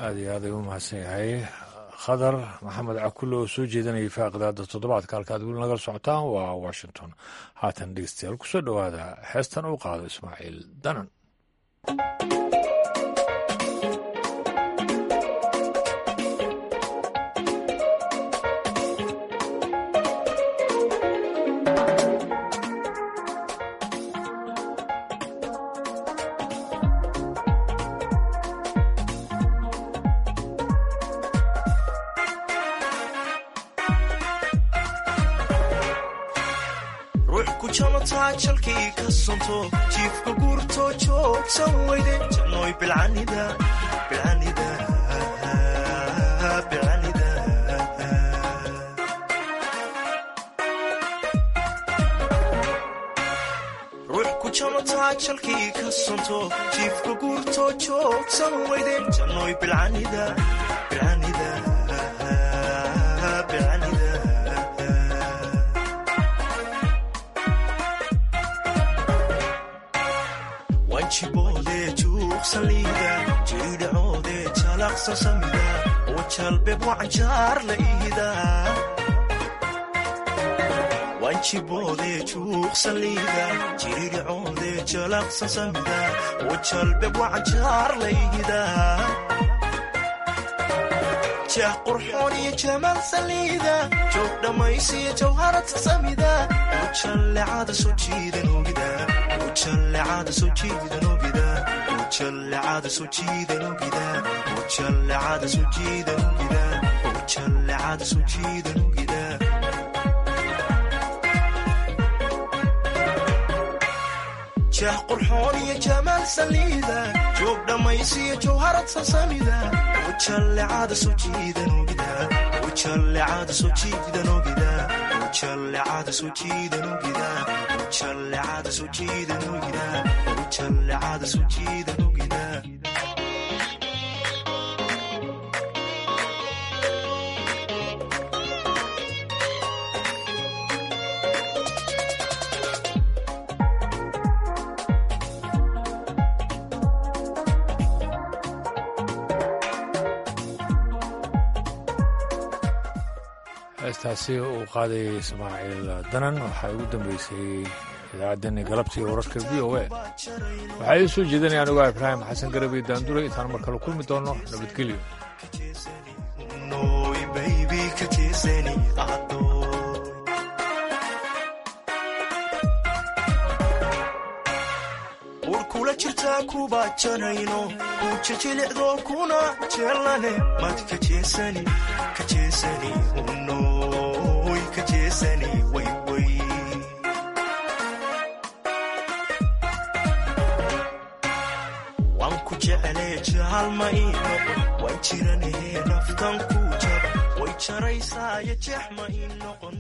Aad iyo aad ay u mahadsan yahay Khadar Maxamed Cakulle oo soo jeedanayay faaqidaada toddobaadka. Halkaad weli nagala socotaan waa Washington. Haatan dhegeystayaal, kusoo dhowaada heestan uu qaado Ismaaciil Danan. Jalkii ka sonto, jiifka guurto, joogsan weyde, jannoy bilcanida, bilcanida, bilcanida. Ruux ku jamataa jalkii ka sonto, jiifka guurto, joogsan weyde, jannoy bilcanida, bilcanida, bilcanida. Wanjiboode juuqsaliida, jiidhacoode jalaqsa samida, oo jalbeeb wacanjaar la iida. Wanjiboode juuqsaliida, jiidhacoode jalaqsa samida, oo jalbeeb wacanjaar la iida. Jah qurxoon iyo jamaal saliida, joog dhammaysiyo jawharad samida, oo jallecada soo jiidan ogida, ujallecada soo jiidan ogida, ujallecada soo jiidan ogida, ujallecada soo jiidan ogida, ujallecada soo jiidan ogida. Jah qurxoon iyo jamaal saliida, joog dhammaysiyo jawharad sasamida, ujallecada soo jiidan ogida, ujallecada soo jiidan ogida, Ujallecada soo jiidan ogida, ujallecada soo jiidan ogida, ujallecada soo jiidan ogida. Heestaasi uu qaaday Ismaaciil Danan waxaa ugu dambeysay idaacaddeenni galabtii wararka V O A. Waxaa ii soo jeedinaya anigoo Ibraahim Xasan Garabey Daandure. Intaan mar kale kulmi doono, nabadgelyo. Urkula jirtaa kuba janayno kujajilicdo kuna jeelane mad kajeesani kajeesani unoy kajeesani wayway. Waan ku jeclee jaalma ii noqon, waan jiranahe naftan ku jaba way jaraysaayo jeex ma ii noqon.